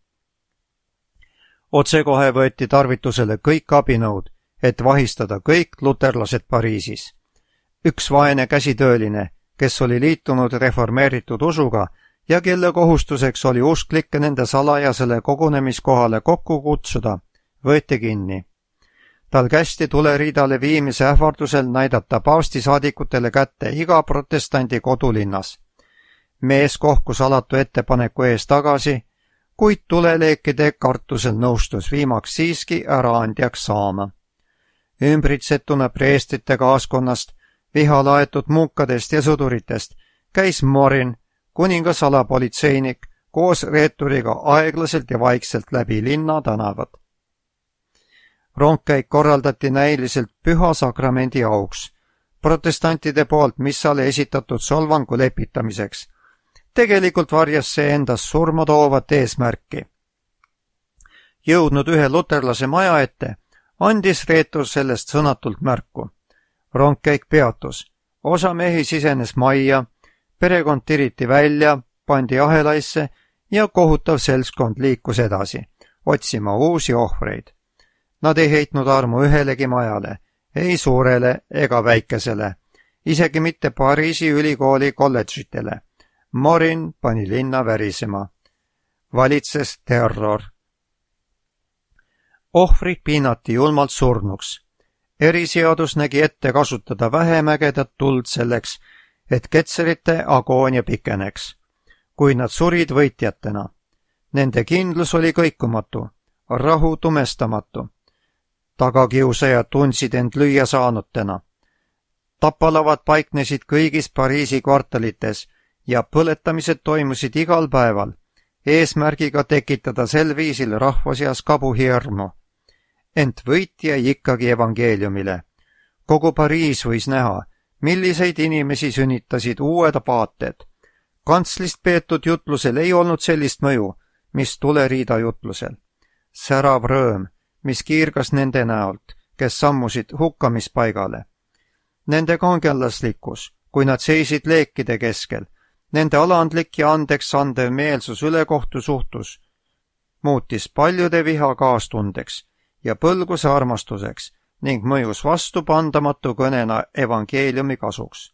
Otsekohe võeti tarvitusele kõik abinõud, et vahistada kõik luterlased Pariisis. Üks vaene käsitööline, kes oli liitunud reformeeritud usuga ja kelle kohustuseks oli usklikke nende salajasele kogunemiskohale kokku kutsuda, võeti kinni. Tal kästi tuleriidale viimise ähvardusel näidata paavstisaadikutele kätte iga protestandi kodulinnas. Mees kohkus alatu ettepaneku ees tagasi, kuid tuleleekide kartusel nõustus viimaks siiski äraandjaks saama. Ümbritsetuna preestrite kaaskonnast, viha laetud muukadest ja sõduritest, käis Morin, kuninga salapolitseinik, koos reeturiga aeglaselt ja vaikselt läbi linna tänavad. Rongkäik korraldati näiliselt püha sakramendi auks, protestantide poolt missale esitatud solvangu lepitamiseks. Tegelikult varjas see endas surma toovat eesmärki. Jõudnud ühe luterlase maja ette, andis reetur sellest sõnatult märku. Rongkäik peatus, osa mehi sisenes majja, perekond tiriti välja, pandi ahelaisse ja kohutav seltskond liikus edasi, otsima uusi ohvreid. Nad ei heitnud armu ühelegi majale, ei suurele ega väikesele, isegi mitte Pariisi ülikooli kolledžitele. Morin pani linna värisema. Valitses terror. Ohvrid piinati julmalt surnuks. Eriseadus nägi ette kasutada vähem ägedat tuld selleks, et ketserite agoonia pikeneks, kui nad surid võitjatena. Nende kindlus oli kõikumatu, rahu tumestamatu. Tagakiusajad tundsid end lüüa saanutena. Tapalavad paiknesid kõigis Pariisi kvartalites ja põletamised toimusid igal päeval, eesmärgiga tekitada sel viisil rahva seas kabuhirmu. Ent võit jäi ikkagi evangeeliumile. Kogu Pariis võis näha, milliseid inimesi sünnitasid uued paated. Kantslist peetud jutlusel ei olnud sellist mõju, mis tuleriida jutlusel. Särav rõõm, mis kiirgas nende näolt, kes sammusid hukkamispaigale. Nende kangelaslikkus, kui nad seisid leekide keskel, nende alandlik ja andeks andev meelsus ülekohtu suhtus, muutis paljude viha kaastundeks ja põlguse armastuseks ning mõjus vastupandamatu kõnena evangeeliumi kasuks.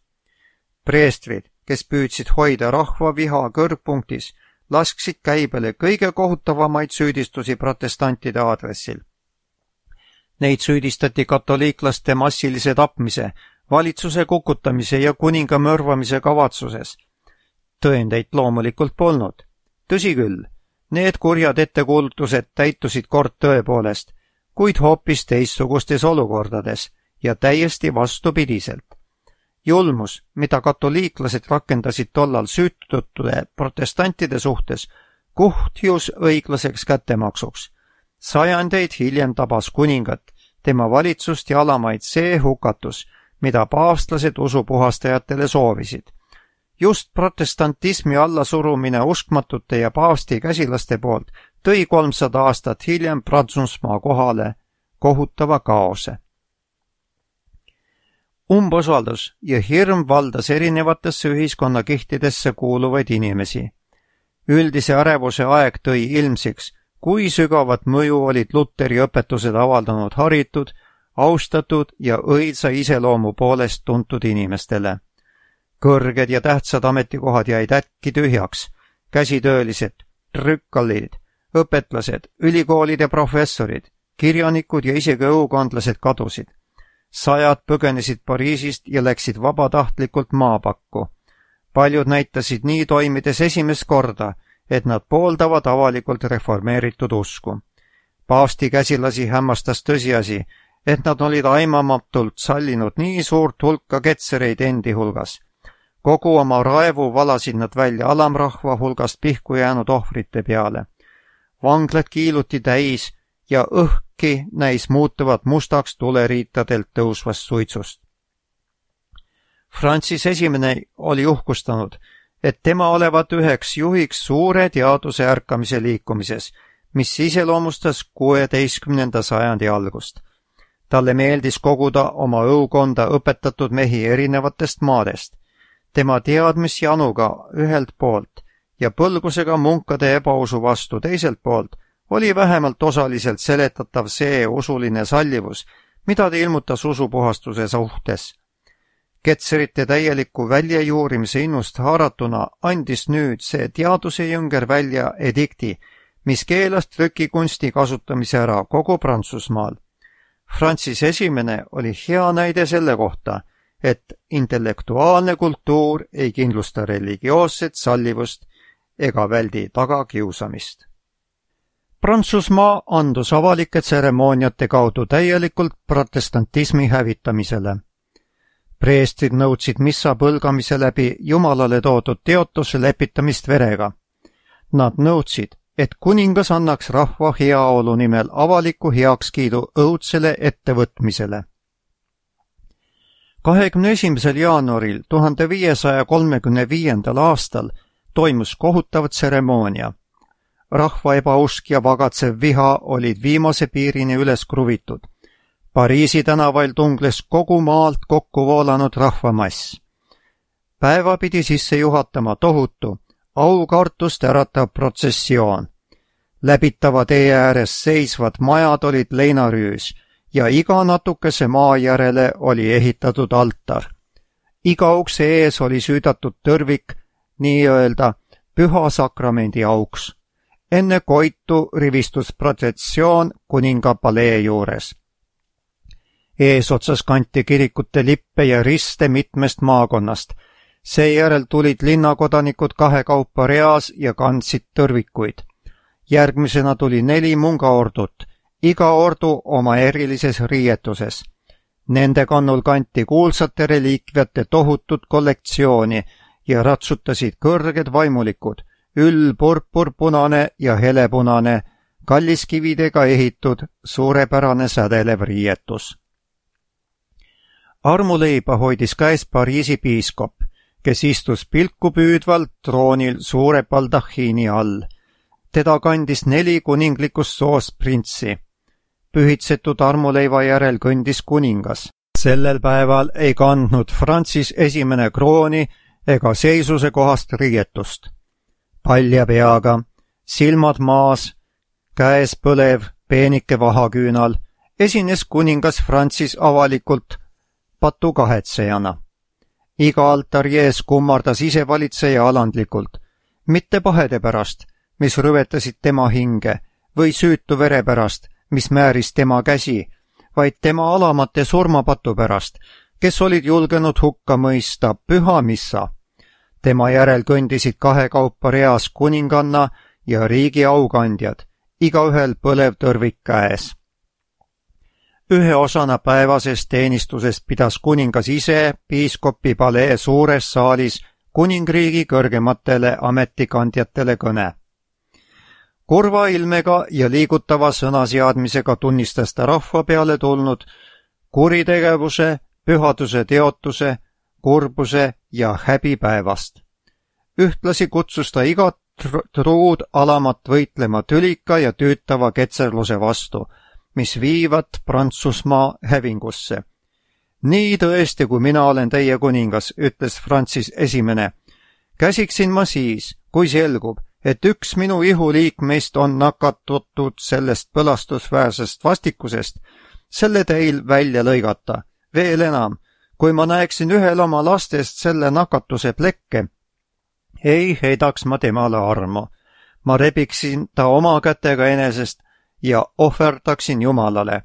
Preestrid, kes püüdsid hoida rahva viha kõrgpunktis, lasksid käibele kõige kohutavamaid süüdistusi protestantide aadressil. Neid süüdistati katoliiklaste massilise tapmise, valitsuse kukutamise ja kuninga mõrvamise kavatsuses. Tõendeid loomulikult polnud. Tõsi küll, need kurjad ettekuulutused täitusid kord tõepoolest, kuid hoopis teistsugustes olukordades ja täiesti vastupidiselt. Julmus, mida katoliiklased rakendasid tollal süütutude protestantide suhtes, kuhtjus õiglaseks kättemaksuks. Sajandeid hiljem tabas kuningat, tema valitsust ja alamaid see hukatus, mida paavstlased usupuhastajatele soovisid. Just protestantismi allasurumine uskmatute ja paavsti käsilaste poolt tõi 300 aastat hiljem Prantsusmaa kohale kohutava kaose. Umbusaldus ja hirm valdas erinevatesse ühiskonnakihtidesse kuuluvaid inimesi. Üldise ärevuse aeg tõi ilmsiks, kui sügavat mõju olid Luteri õpetused avaldanud haritud, austatud ja õilsa iseloomu poolest tuntud inimestele. Kõrged ja tähtsad ametikohad jäid äkki tühjaks, käsitöölised, trükkallid, õpetlased, ülikoolide professorid, kirjanikud ja isegi õukondlased kadusid. Sajad põgenesid Pariisist ja läksid vabatahtlikult maapakku. Paljud näitasid nii toimides esimest korda, et nad pooldavad avalikult reformeeritud usku. Paavsti käsilasi hämmastas tõsiasi, et nad olid aimamatult sallinud nii suurt hulka ketsereid endi hulgas. Kogu oma raevu valasid nad välja alamrahva hulgast pihku jäänud ohvrite peale. Vanglad kiiluti täis ja õhki näis muutuvat mustaks tuleriitadelt tõusvast suitsust. Francis I oli uhkustanud, et tema olevat üheks juhiks suure teaduse ärkamise liikumises, mis iseloomustas 16. sajandi algust. Talle meeldis koguda oma õukonda õpetatud mehi erinevatest maadest. Tema teadmisjanuga ühelt poolt ja põlgusega munkade ebausu vastu teiselt poolt oli vähemalt osaliselt seletatav see usuline sallivus, mida ta ilmutas usupuhastuse suhtes. Ketserite täieliku väljajuurimise innust haaratuna andis nüüd see teadusejünger välja edikti, mis keelas trükikunsti kasutamise ära kogu Prantsusmaal. Francis I oli hea näide selle kohta, et intellektuaalne kultuur ei kindlusta religioosset sallivust ega väldi tagakiusamist. Prantsusmaa andus avalike tseremooniate kaudu täielikult protestantismi hävitamisele. Preestrid nõudsid missa põlgamise läbi Jumalale toodud teotuse lepitamist verega. Nad nõudsid, et kuningas annaks rahva heaolu nimel avaliku heakskiidu õudsele ettevõtmisele. 21. jaanuaril 1535. aastal toimus kohutav tseremoonia. Rahva ebausk ja vagatsev viha olid viimase piirini üles kruvitud. Pariisi tänavail tungles kogu maalt kokku voolanud rahvamass. Päeva pidi sisse juhatama tohutu, aukartust äratav protsessioon. Läbitava tee ääres seisvad majad olid leinarüüs ja iga natukese maa järele oli ehitatud altar. Iga ukse ees oli süüdatud tõrvik, nii-öelda püha sakramendi auks. Enne koitu rivistus protsessioon kuninga palee juures. Eesotsas kanti kirikute lippe ja riste mitmest maakonnast. Seejärel tulid linnakodanikud kahekaupa reas ja kandsid tõrvikuid. Järgmisena tuli 4 mungaordut, iga ordu oma erilises riietuses. Nende kannul kanti kuulsate reliikviate tohutut kollektsiooni ja ratsutasid kõrged vaimulikud, purpurpunane ja helepunane, kalliskividega ehitud, suurepärane sädelev riietus. Armuleiba hoidis käes Pariisi piiskop, kes istus pilku püüdvalt troonil suure baldahiini all. Teda kandis 4 kuninglikust soost printsi. Pühitsetud armuleiva järel kõndis kuningas. Sellel päeval ei kandnud Francis I krooni ega seisuse kohast riietust. Palja peaga, silmad maas, käes põlev, peenike vahaküünal, esines kuningas Francis avalikult patukahetsejana. Iga altari ees kummardas isevalitseja alandlikult, mitte pahede pärast, mis rüvetasid tema hinge, või süütu vere pärast, mis määris tema käsi, vaid tema alamate surmapatu pärast, kes olid julgenud hukka mõista püha missa. Tema järel kõndisid kahekaupa reas kuninganna ja riigi aukandjad, igaühel põlev tõrvik käes. Ühe osana päevasest teenistusest pidas kuningas ise piiskopi palee suures saalis kuningriigi kõrgematele ametikandjatele kõne. Kurva ilmega ja liigutava sõnaseadmisega tunnistas ta rahva peale tulnud kuritegevuse, pühaduse teotuse, kurbuse ja häbipäevast. Ühtlasi kutsus ta igat truud alamat võitlema tülika ja tüütava ketserluse vastu, mis viivad Prantsusmaa hävingusse. Nii tõesti, kui mina olen teie kuningas, ütles Francis I. Käsiksin ma siis, kui selgub, et üks minu ihuliikmeist on nakatutud sellest põlastusväärsest vastikusest, selle teil välja lõigata. Veel enam, kui ma näeksin ühel oma lastest selle nakatuse plekke, ei heidaks ma temale armu. Ma rebiksin ta oma kätega enesest ja ohverdaksin Jumalale.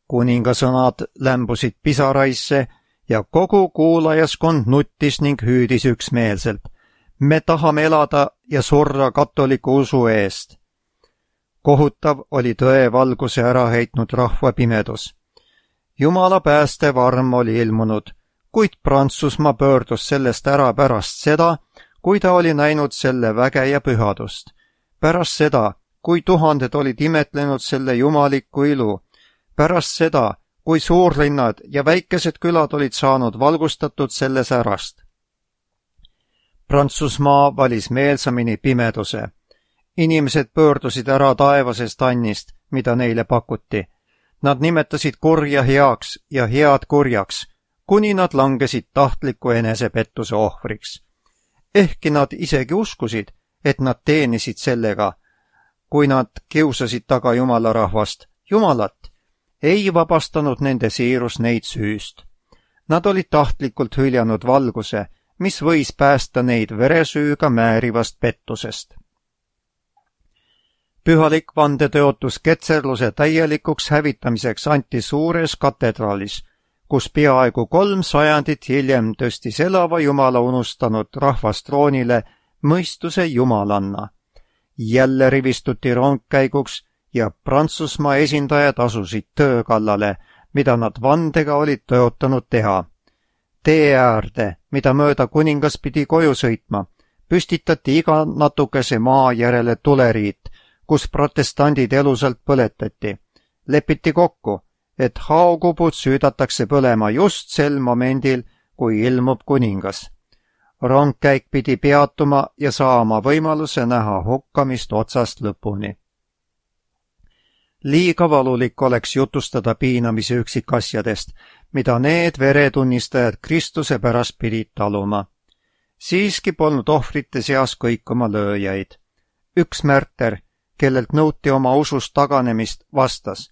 Kuninga sõnad lämbusid pisaraisse ja kogu kuulajaskond nuttis ning hüüdis üksmeelselt. Me tahame elada ja surra katoliku usu eest. Kohutav oli tõe valguse ära heitnud rahva pimedus. Jumala päästev arm oli ilmunud, kuid Prantsusmaa pöördus sellest ära pärast seda, kui ta oli näinud selle väge ja pühadust. Pärast seda, kui tuhanded olid imetlenud selle jumalikku ilu. Pärast seda, kui suurlinnad ja väikesed külad olid saanud valgustatud selle särast. Prantsusmaa valis meelsamini pimeduse. Inimesed pöördusid ära taevasest annist, mida neile pakuti. Nad nimetasid kurja heaks ja head kurjaks, kuni nad langesid tahtliku enesepettuse ohvriks. Ehkki nad isegi uskusid, et nad teenisid sellega, kui nad kiusasid taga Jumala rahvast, Jumalat, ei vabastanud nende siirus neid süüst. Nad olid tahtlikult hüljanud valguse, mis võis päästa neid veresüüga määrivast pettusest. Pühalik vandetõotus ketserluse täielikuks hävitamiseks anti suures katedraalis, kus peaaegu 3 sajandit hiljem tõstis elava Jumala unustanud rahvast troonile mõistuse Jumalanna. Jälle rivistuti rongkäiguks ja Prantsusmaa esindajad asusid töö kallale, mida nad vandega olid tõotanud teha. Tee äärde, mida mööda kuningas pidi koju sõitma, püstitati iga natukese maa järele tuleriit, kus protestandid elusalt põletati. Lepiti kokku, et haokubud süüdatakse põlema just sel momendil, kui ilmub kuningas. Rongkäik pidi peatuma ja saama võimaluse näha hukkamist otsast lõpuni. Liiga valulik oleks jutustada piinamise üksikasjadest, mida need veretunnistajad Kristuse pärast pidid taluma. Siiski polnud ohvrite seas kõikuma lööjaid. Üks märter, kellelt nõuti oma usust taganemist, vastas: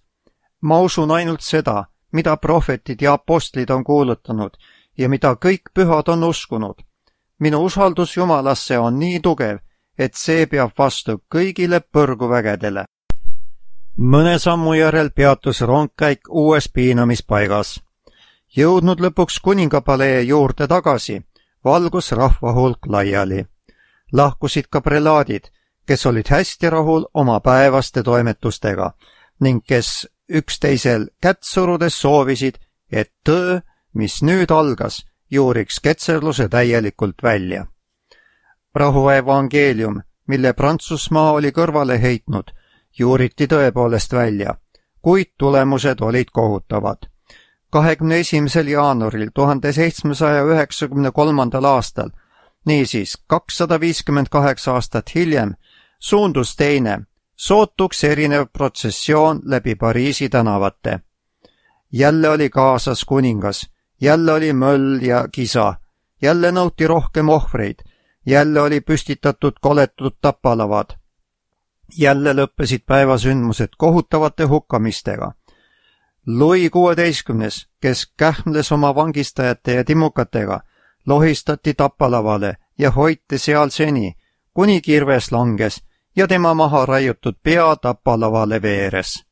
ma usun ainult seda, mida prohvetid ja apostlid on kuulutanud ja mida kõik pühad on uskunud. Minu usaldus Jumalasse on nii tugev, et see peab vastu kõigile põrguvägedele. Mõne sammu järel peatus rongkäik uues piinamispaigas. Jõudnud lõpuks kuningapalee juurde tagasi, valgus rahva hulk laiali. Lahkusid ka prelaadid, kes olid hästi rahul oma päevaste toimetustega ning kes üksteisel kätt surudes soovisid, et töö, mis nüüd algas, juuriks ketserluse täielikult välja. Rahuevangeelium, mille Prantsusmaa oli kõrvale heitnud, juuriti tõepoolest välja, kuid tulemused olid kohutavad. 21. jaanuaril 1793. aastal, niisiis 258 aastat hiljem, suundus teine, sootuks erinev protsessioon läbi Pariisi tänavate. Jälle oli kaasas kuningas, jälle oli möll ja kisa, jälle nõuti rohkem ohvreid, jälle oli püstitatud koletud tapalavad. Jälle lõppesid päevasündmused kohutavate hukkamistega. Louis XVI, kes kähmles oma vangistajate ja timukatega, lohistati tapalavale ja hoiti seal seni, kuni kirves langes ja tema maha raiutud pea tapalavale veeres.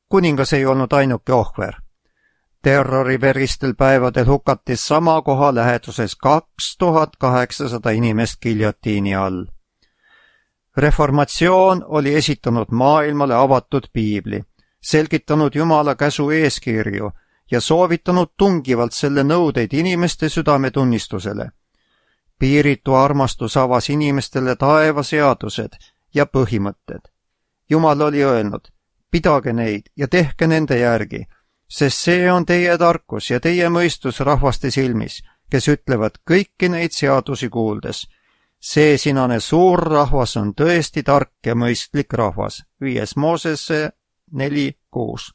Kuningas ei olnud ainuke ohver. Terroriveristel päevadel hukati sama koha läheduses 2800 inimest giljotiini all. Reformatsioon oli esitanud maailmale avatud piibli, selgitanud Jumala käsu eeskirju ja soovitanud tungivalt selle nõudeid inimeste südametunnistusele. Piiritu armastus avas inimestele taevaseadused ja põhimõtted. Jumal oli öelnud: pidage neid ja tehke nende järgi, sest see on teie tarkus ja teie mõistus rahvaste silmis, kes ütlevad kõiki neid seadusi kuuldes: see sinane suur rahvas on tõesti tark ja mõistlik rahvas. 5. Moosese 4:6.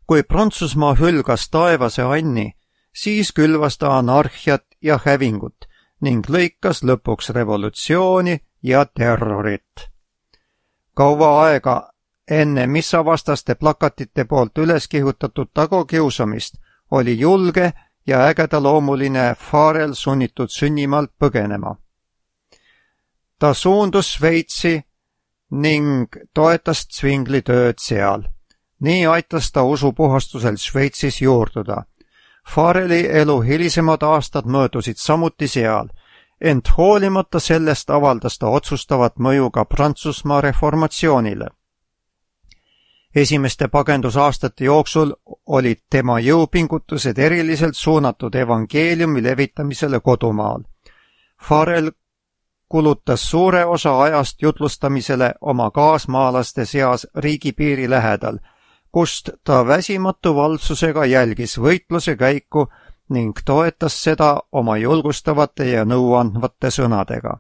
Kui Prantsusmaa hülgas taevase anni, siis külvas ta anarhiat ja hävingut ning lõikas lõpuks revolutsiooni ja terrorit. Kaua aega enne missavastaste plakatite poolt üles kihutatud tagokiusamist oli julge ja ägedaloomuline Farel sunnitud sünnimaalt põgenema. Ta suundus Šveitsi ning toetas Zwingli tööd seal. Nii aitas ta usupuhastusel Šveitsis juurduda. Fareli elu hilisemad aastad möödusid samuti seal, ent hoolimata sellest avaldas ta otsustavat mõju ka Prantsusmaa reformatsioonile. Esimeste pagendusaastate jooksul olid tema jõupingutused eriliselt suunatud evangeeliumi levitamisele kodumaal. Farel kulutas suure osa ajast jutlustamisele oma kaasmaalaste seas riigipiiri lähedal, kust ta väsimatu valvsusega jälgis võitluse käiku ning toetas seda oma julgustavate ja nõuandvate sõnadega.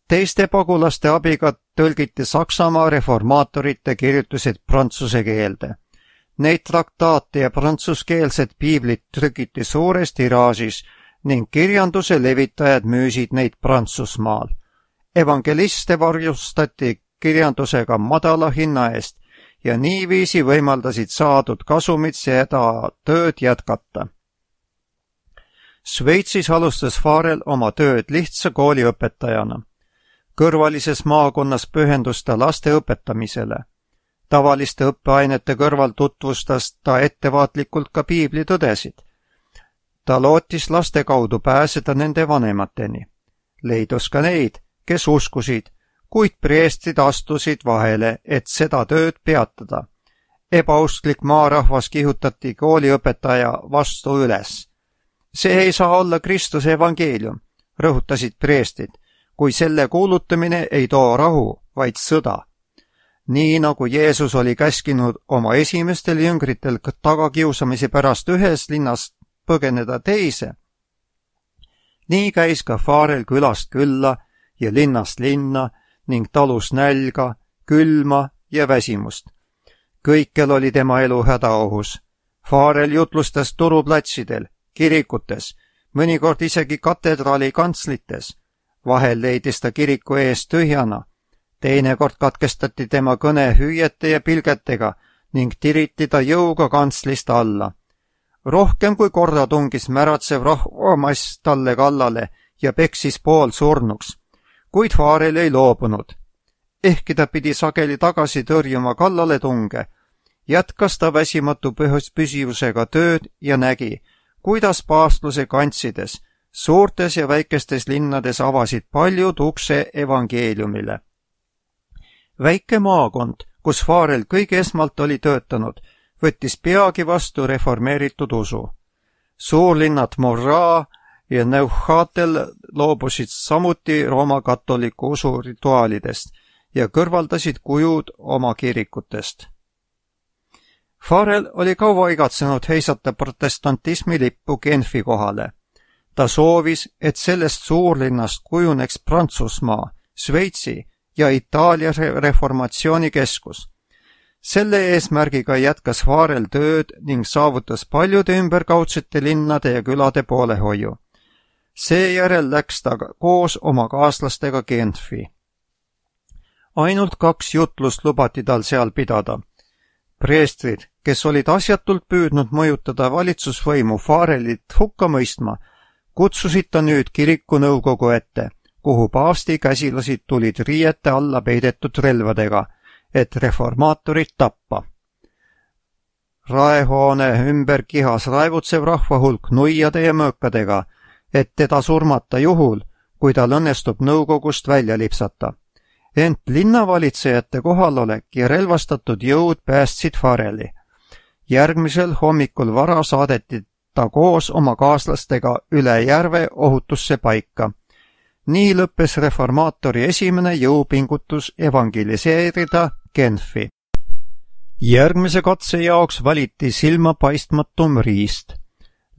Teiste pagulaste abiga tõlgiti Saksamaa reformaatorite kirjutused prantsuse keelde. Neid traktaate ja prantsuskeelset piiblit trükiti suures tiraažis ning kirjanduse levitajad müüsid neid Prantsusmaal. Evangeliste varjustati kirjandusega madala hinna eest ja niiviisi võimaldasid saadud kasumit seda tööd jätkata. Šveitsis alustas Farel oma tööd lihtsa kooliõpetajana. Kõrvalises maakonnas pühendus ta laste õpetamisele. Tavaliste õppeainete kõrval tutvustas ta ettevaatlikult ka piiblitõdesid. Ta lootis laste kaudu pääseda nende vanemateni. Leidus ka neid, kes uskusid, kuid preestrid astusid vahele, et seda tööd peatada. Ebausklik maarahvas kihutati kooliõpetaja vastu üles. See ei saa olla Kristuse evangeelium, rõhutasid preestrid, kui selle kuulutamine ei too rahu, vaid sõda. Nii nagu Jeesus oli käskinud oma esimestel jüngritel tagakiusamise pärast ühes linnast põgeneda teise, nii käis ka Farel külast külla ja linnast linna ning talus nälga, külma ja väsimust. Kõikjal oli tema elu hädaohus. Farel jutlustas turuplatsidel, kirikutes, mõnikord isegi katedraali kantslites. Vahel leidis ta kiriku ees tühjana. Teinekord katkestati tema kõne hüüete ja pilgetega ning tiriti ta jõuga kantslist alla. Rohkem kui korda tungis märatsev rahvamass talle kallale ja peksis pool surnuks, kuid Farel ei loobunud. Ehkki ta pidi sageli tagasi tõrjuma kallaletunge, jätkas ta väsimatu püsivusega tööd ja nägi, kuidas paastluse kantsides, suurtes ja väikestes linnades avasid paljud ukse evangeeliumile. Väike maakond, kus Farel kõige esmalt oli töötanud, võttis peagi vastu reformeeritud usu. Suurlinnad Moraa ja Neuchâtel loobusid samuti Rooma katoliku usu rituaalidest ja kõrvaldasid kujud oma kirikutest. Farel oli kaua igatsenud heisata protestantismi lippu Genfi kohale. Ta soovis, et sellest suurlinnast kujuneks Prantsusmaa, Šveitsi ja Itaalia reformatsiooni keskus. Selle eesmärgiga jätkas Farel tööd ning saavutas paljude ümberkaudsete linnade ja külade poolehoiu. Seejärel läks ta koos oma kaaslastega Genfi. Ainult 2 jutlust lubati tal seal pidada. Preestrid, kes olid asjatult püüdnud mõjutada valitsusvõimu Farelit hukka mõistma, kutsusid ta nüüd kiriku nõukogu ette, kuhu paavsti käsilased tulid riiete alla peidetud relvadega, et reformaatorid tappa. Raehoone ümber kihas raevutsev rahvahulk nuiade ja mõõkadega, et teda surmata juhul, kui tal õnnestub nõukogust välja lipsata. Ent linnavalitsejate kohalolek ja relvastatud jõud päästsid Fareli. Järgmisel hommikul vara saadeti ta koos oma kaaslastega üle järve ohutusse paika. Nii lõppes reformaatori esimene jõupingutus evangeliseerida Genfi. Järgmise katse jaoks valiti silmapaistmatum riist.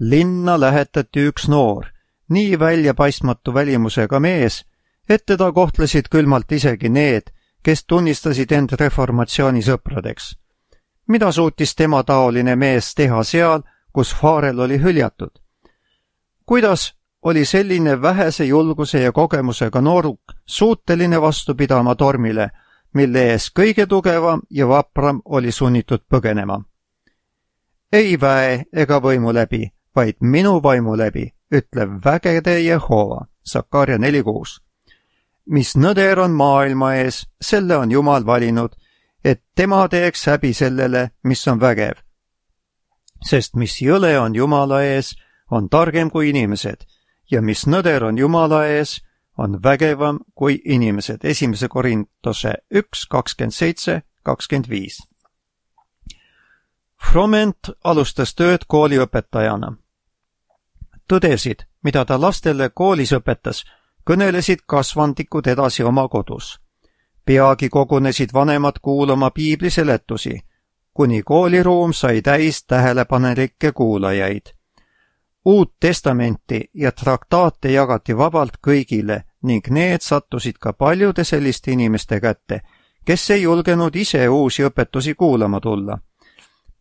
Linna lähetati üks noor, nii väljapaistmatu välimusega mees, et teda kohtlesid külmalt isegi need, kes tunnistasid end reformatsiooni sõpradeks. Mida suutis tema taoline mees teha seal, kus Farel oli hüljatud? Kuidas oli selline vähese julguse ja kogemusega nooruk suuteline vastu pidama tormile, mille ees kõige tugevam ja vapram oli sunnitud põgenema? Ei väe ega võimu läbi, vaid minu vaimu läbi, ütleb vägede Jehova, Sakaria 4:6. Mis nõder on maailma ees, selle on Jumal valinud, et tema teeks häbi sellele, mis on vägev. Sest mis jõle on Jumala ees, on targem kui inimesed, ja mis nõder on Jumala ees, on vägevam kui inimesed. 1. Korintuse 1:27-25. Froment alustas tööd kooliõpetajana. Tõdesid, mida ta lastele koolis õpetas, kõnelesid kasvandikud edasi oma kodus. Peagi kogunesid vanemad kuulama piibliseletusi. kuni kooliruum sai täis tähelepanelikke kuulajaid. Uut testamenti ja traktaate jagati vabalt kõigile ning need sattusid ka paljude selliste inimeste kätte, kes ei julgenud ise uusi õpetusi kuulama tulla.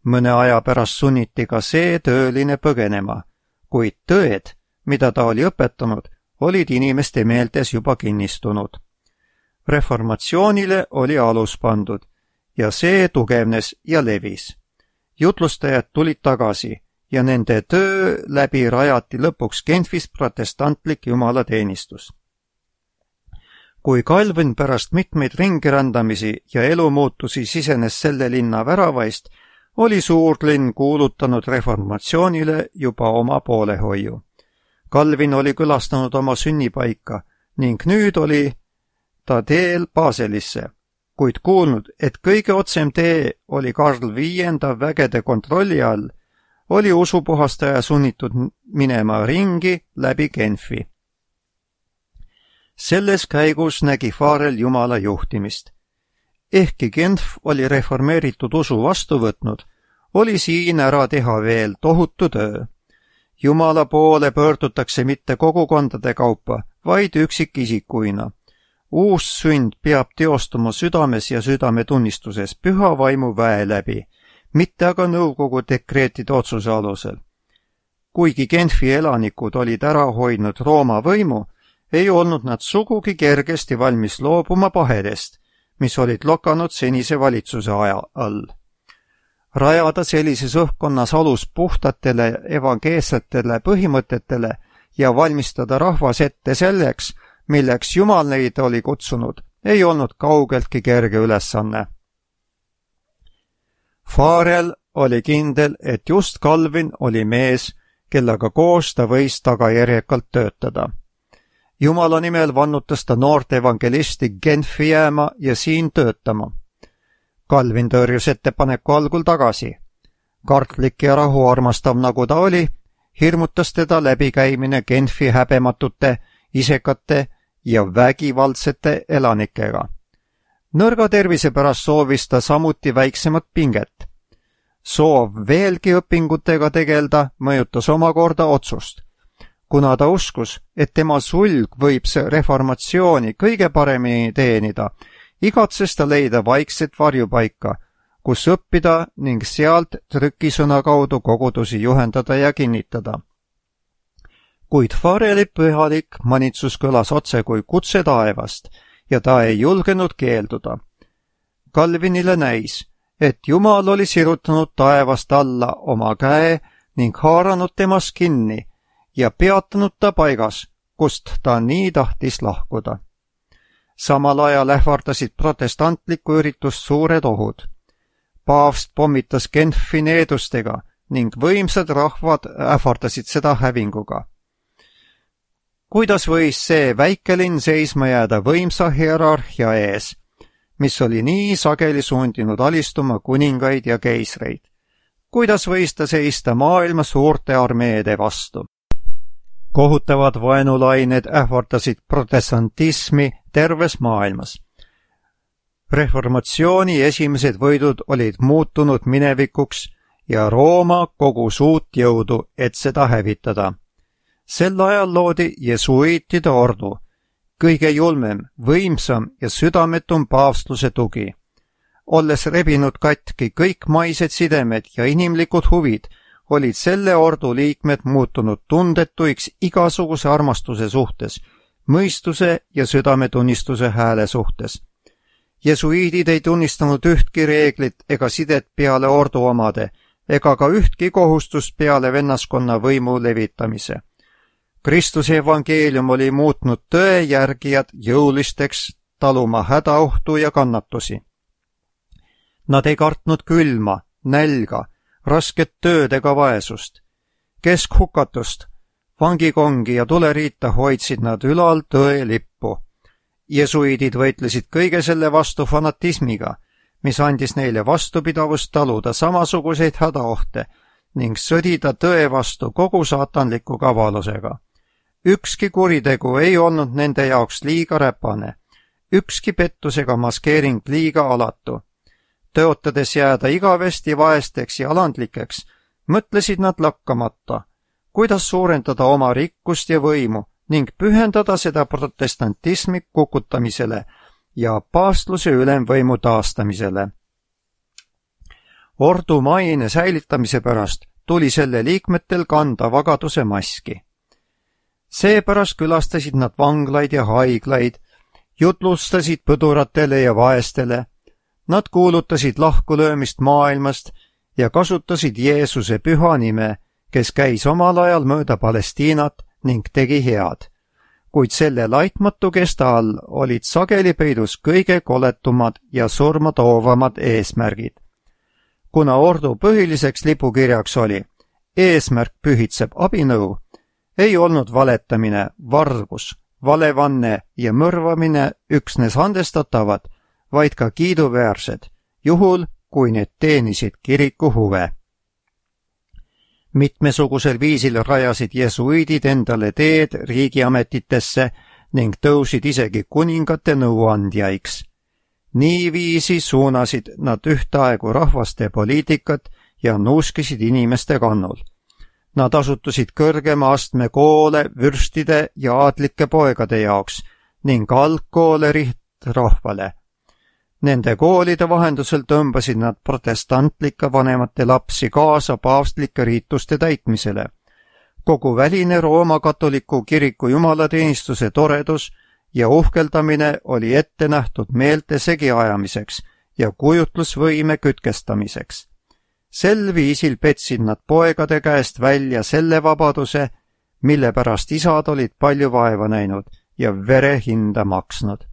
Mõne aja pärast sunniti ka see tööline põgenema, kuid tõed, mida ta oli õpetanud, olid inimeste meeltes juba kinnistunud. Reformatsioonile oli alus pandud ja see tugevnes ja levis. Jutlustajad tulid tagasi ja nende töö läbi rajati lõpuks Genfis protestantlik jumalateenistus. Kui Calvin pärast mitmeid ringirändamisi ja elumuutusi sisenes selle linna väravaist, oli suurlinn kuulutanud reformatsioonile juba oma poolehoiu. Calvin oli külastanud oma sünnipaika ning nüüd oli ta teel Baselisse, kuid kuulnud, et kõige otsem tee oli Karl V vägede kontrolli all, oli usupuhastaja sunnitud minema ringi läbi Genfi. Selles käigus nägi Farel Jumala juhtimist. Ehkki Genf oli reformeeritud usu vastu võtnud, oli siin ära teha veel tohutu töö. Jumala poole pöördutakse mitte kogukondade kaupa, vaid üksikisikuina. Uus sünd peab teostuma südames ja südametunnistuses püha vaimu väe läbi, mitte aga nõukogu dekreetide otsuse alusel. Kuigi Genfi elanikud olid ära hoidnud Rooma võimu, ei olnud nad sugugi kergesti valmis loobuma pahedest, mis olid lokanud senise valitsuse aja all. Rajada sellises õhkkonnas alus puhtatele evangeelsetele põhimõtetele ja valmistada rahvas ette selleks, milleks Jumal neid oli kutsunud, ei olnud kaugeltki kerge ülesanne. Farel oli kindel, et just Calvin oli mees, kellega koos ta võis tagajärjekalt töötada. Jumala nimel vannutas ta noort evangelisti Genfi jääma ja siin töötama. Calvin tõrjus ettepaneku algul tagasi. Kartlik ja rahuarmastav nagu ta oli, hirmutas teda läbikäimine Genfi häbematute, isekate ja vägivaldsete elanikega. Nõrga tervise pärast soovis ta samuti väiksemat pinget. Soov veelgi õpingutega tegelda mõjutas omakorda otsust. Kuna ta uskus, et tema sulg võib see reformatsiooni kõige paremini teenida, igatses ta leida vaikset varjupaika, kus õppida ning sealt trükisõna kaudu kogudusi juhendada ja kinnitada. Kuid Fareli pühalik manitsus kõlas otse kui kutse taevast ja ta ei julgenud keelduda. Calvinile näis, et Jumal oli sirutanud taevast alla oma käe ning haaranud temast kinni ja peatanud ta paigas, kust ta nii tahtis lahkuda. Samal ajal ähvardasid protestantlikku üritust suured ohud. Paavst pommitas Genfi needustega ning võimsad rahvad ähvardasid seda hävinguga. Kuidas võis see väikelinn seisma jääda võimsa hierarhia ees, mis oli nii sageli suundinud alistuma kuningaid ja keisreid? Kuidas võis ta seista maailma suurte armeede vastu? Kohutavad vaenulained ähvardasid protestantismi terves maailmas. Reformatsiooni esimesed võidud olid muutunud minevikuks ja Rooma kogus uut jõudu, et seda hävitada. Sel ajal loodi jesuiitide ordu, kõige julmem, võimsam ja südametum paavstluse tugi. Olles rebinud katki kõik maised sidemed ja inimlikud huvid, olid selle ordu liikmed muutunud tundetuiks igasuguse armastuse suhtes, mõistuse ja südametunnistuse hääle suhtes. Jesuiidid ei tunnistanud ühtki reeglit ega sidet peale ordu omade, ega ka ühtki kohustust peale vennaskonna võimu levitamise. Kristuse evangeelium oli muutnud tõe järgijad jõulisteks taluma hädaohtu ja kannatusi. Nad ei kartnud külma, nälga, rasket tööd ega vaesust. Keskhukatust, vangikongi ja tuleriita hoidsid nad ülal tõe lippu. Jesuiidid võitlesid kõige selle vastu fanatismiga, mis andis neile vastupidavust taluda samasuguseid hädaohte ning sõdida tõe vastu kogu saatanliku kavalusega. Ükski kuritegu ei olnud nende jaoks liiga räpane, ükski pettusega maskeering liiga alatu. tõotades jääda igavesti vaesteks ja alandlikeks, mõtlesid nad lakkamata, kuidas suurendada oma rikkust ja võimu ning pühendada seda protestantismi kukutamisele ja paavstluse ülemvõimu taastamisele. Ordu maine säilitamise pärast tuli selle liikmetel kanda vagaduse maski. Seepärast külastasid nad vanglaid ja haiglaid, jutlustasid põduratele ja vaestele, nad kuulutasid lahkulöömist maailmast ja kasutasid Jeesuse püha nime, kes käis omal ajal mööda Palestiinat ning tegi head. Kuid selle laitmatu kesta all olid sageli peidus kõige koletumad ja surmatoovamad eesmärgid. Kuna ordu põhiliseks lipukirjaks oli eesmärk pühitseb abinõu, ei olnud valetamine, vargus, valevanne ja mõrvamine üksnes andestatavad, vaid ka kiiduväärsed, juhul kui need teenisid kiriku huve. Mitmesugusel viisil rajasid jesuiidid endale teed riigiametitesse ning tõusid isegi kuningate nõuandjaiks. Niiviisi suunasid nad ühtaegu rahvaste poliitikat ja nuuskisid inimeste kannul. Nad asutasid kõrgema astme koole vürstide ja aadlike poegade jaoks ning algkoole rihtrahvale. Nende koolide vahendusel tõmbasid nad protestantlike vanemate lapsi kaasa paavstlike riituste täitmisele. Kogu väline Rooma katoliku kiriku jumalateenistuse toredus ja uhkeldamine oli ette nähtud meelte segiajamiseks ja kujutlusvõime kütkestamiseks. Sel viisil petsid nad poegade käest välja selle vabaduse, mille pärast isad olid palju vaeva näinud ja vere hinda maksnud.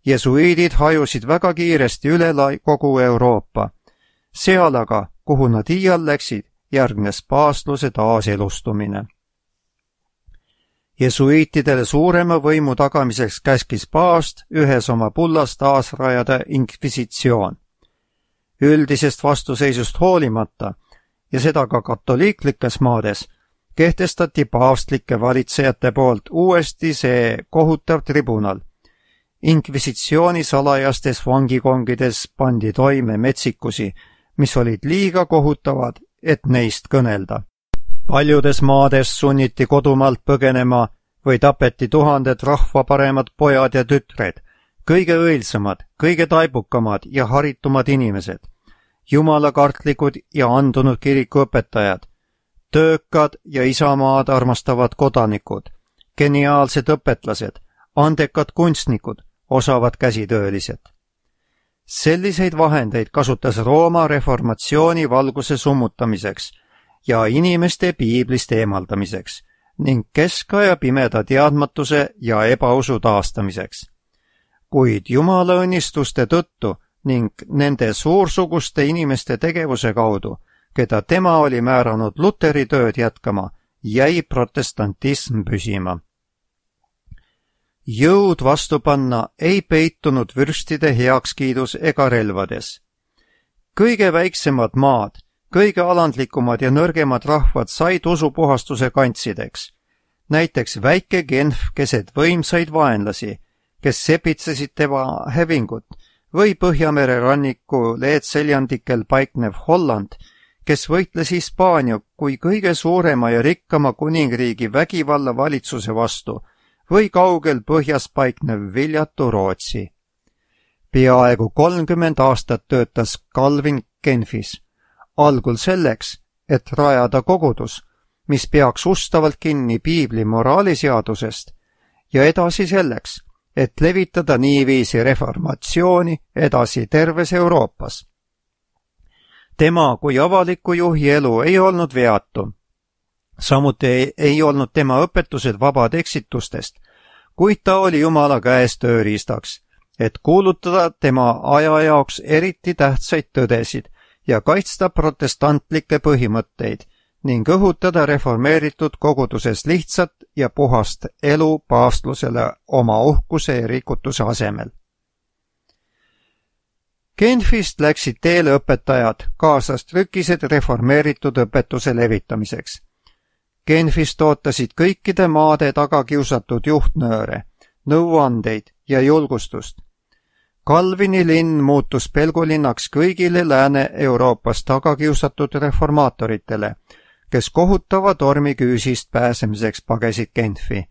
Jesuiidid hajusid väga kiiresti üle kogu Euroopa. Seal aga, kuhu nad iial läksid, järgnes paavstluse taaselustumine. Jesuiitidele suurema võimu tagamiseks käskis paavst ühes oma bullas taasrajada inkvisitsioon. Üldisest vastuseisust hoolimata, ja seda ka katoliiklikes maades, kehtestati paavstlike valitsejate poolt uuesti see kohutav tribunal. Inkvisitsiooni salajastes vangikongides pandi toime metsikusi, mis olid liiga kohutavad, et neist kõnelda. Paljudes maades sunniti kodumaalt põgenema või tapeti tuhanded rahva paremad pojad ja tütred, kõige õilsamad, kõige taibukamad ja haritumad inimesed, jumalakartlikud ja andunud kirikuõpetajad, töökad ja isamaad armastavad kodanikud, geniaalsed õpetlased, andekad kunstnikud, osavad käsitöölised. Selliseid vahendeid kasutas Rooma reformatsiooni valguse summutamiseks ja inimeste piiblist eemaldamiseks ning keskaja pimeda teadmatuse ja ebausu taastamiseks. Kuid jumala õnnistuste tõttu ning nende suursuguste inimeste tegevuse kaudu, keda tema oli määranud Luteri tööd jätkama, jäi protestantism püsima. Jõud vastu panna ei peitunud vürstide heakskiidus ega relvades. Kõige väiksemad maad, kõige alandlikumad ja nõrgemad rahvad said usupuhastuse kantsideks. Näiteks väike Genf keset võimsaid vaenlasi, kes sepitsesid tema hävingut, või Põhjamere ranniku leedseljandikel paiknev Holland, kes võitles Hispaania kui kõige suurema ja rikkama kuningriigi vägivalla valitsuse vastu, või kaugel põhjas paiknev viljatu Rootsi. Peaaegu 30 aastat töötas Calvin Genfis, algul selleks, et rajada kogudus, mis peaks ustavalt kinni piibli moraaliseadusest, ja edasi selleks, et levitada niiviisi reformatsiooni edasi terves Euroopas. Tema kui avaliku juhi elu ei olnud veatu. Samuti ei olnud tema õpetused vabad eksitustest, kuid ta oli Jumala käes tööriistaks, et kuulutada tema aja jaoks eriti tähtsaid tõdesid ja kaitsta protestantlikke põhimõtteid ning õhutada reformeeritud koguduses lihtsat ja puhast elu paavstlusele oma uhkuse ja rikutuse asemel. Genfist läksid teele õpetajad, kaasas trükised reformeeritud õpetuse levitamiseks. Genfist ootasid kõikide maade taga kiusatud juhtnööre, nõuandeid ja julgustust. Calvini linn muutus pelgulinnaks kõigile Lääne-Euroopas tagakiusatud reformaatoritele, kes kohutava tormiküüsist pääsemiseks pagesid Genfi.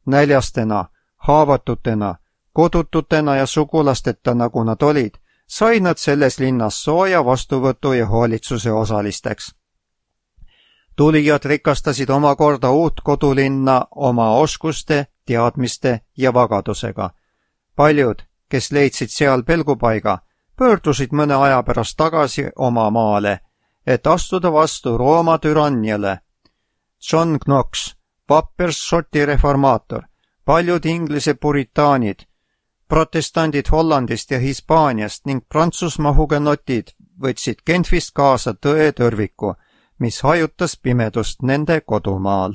Näljastena, haavatutena, kodututena ja sugulasteta, nagu nad olid, sai nad selles linnas sooja vastuvõtu ja hoolitsuse osalisteks. Tulijad rikastasid omakorda uut kodulinna oma oskuste, teadmiste ja vagadusega. Paljud, kes leidsid seal pelgupaiga, pöördusid mõne aja pärast tagasi oma maale, et astuda vastu Rooma türanniale. John Knox, vapper Šoti reformaator, paljud Inglise puritaanid, protestandid Hollandist ja Hispaaniast ning Prantsusmaa hugenotid võtsid Genfist kaasa tõe tõrviku, mis hajutas pimedust nende kodumaal.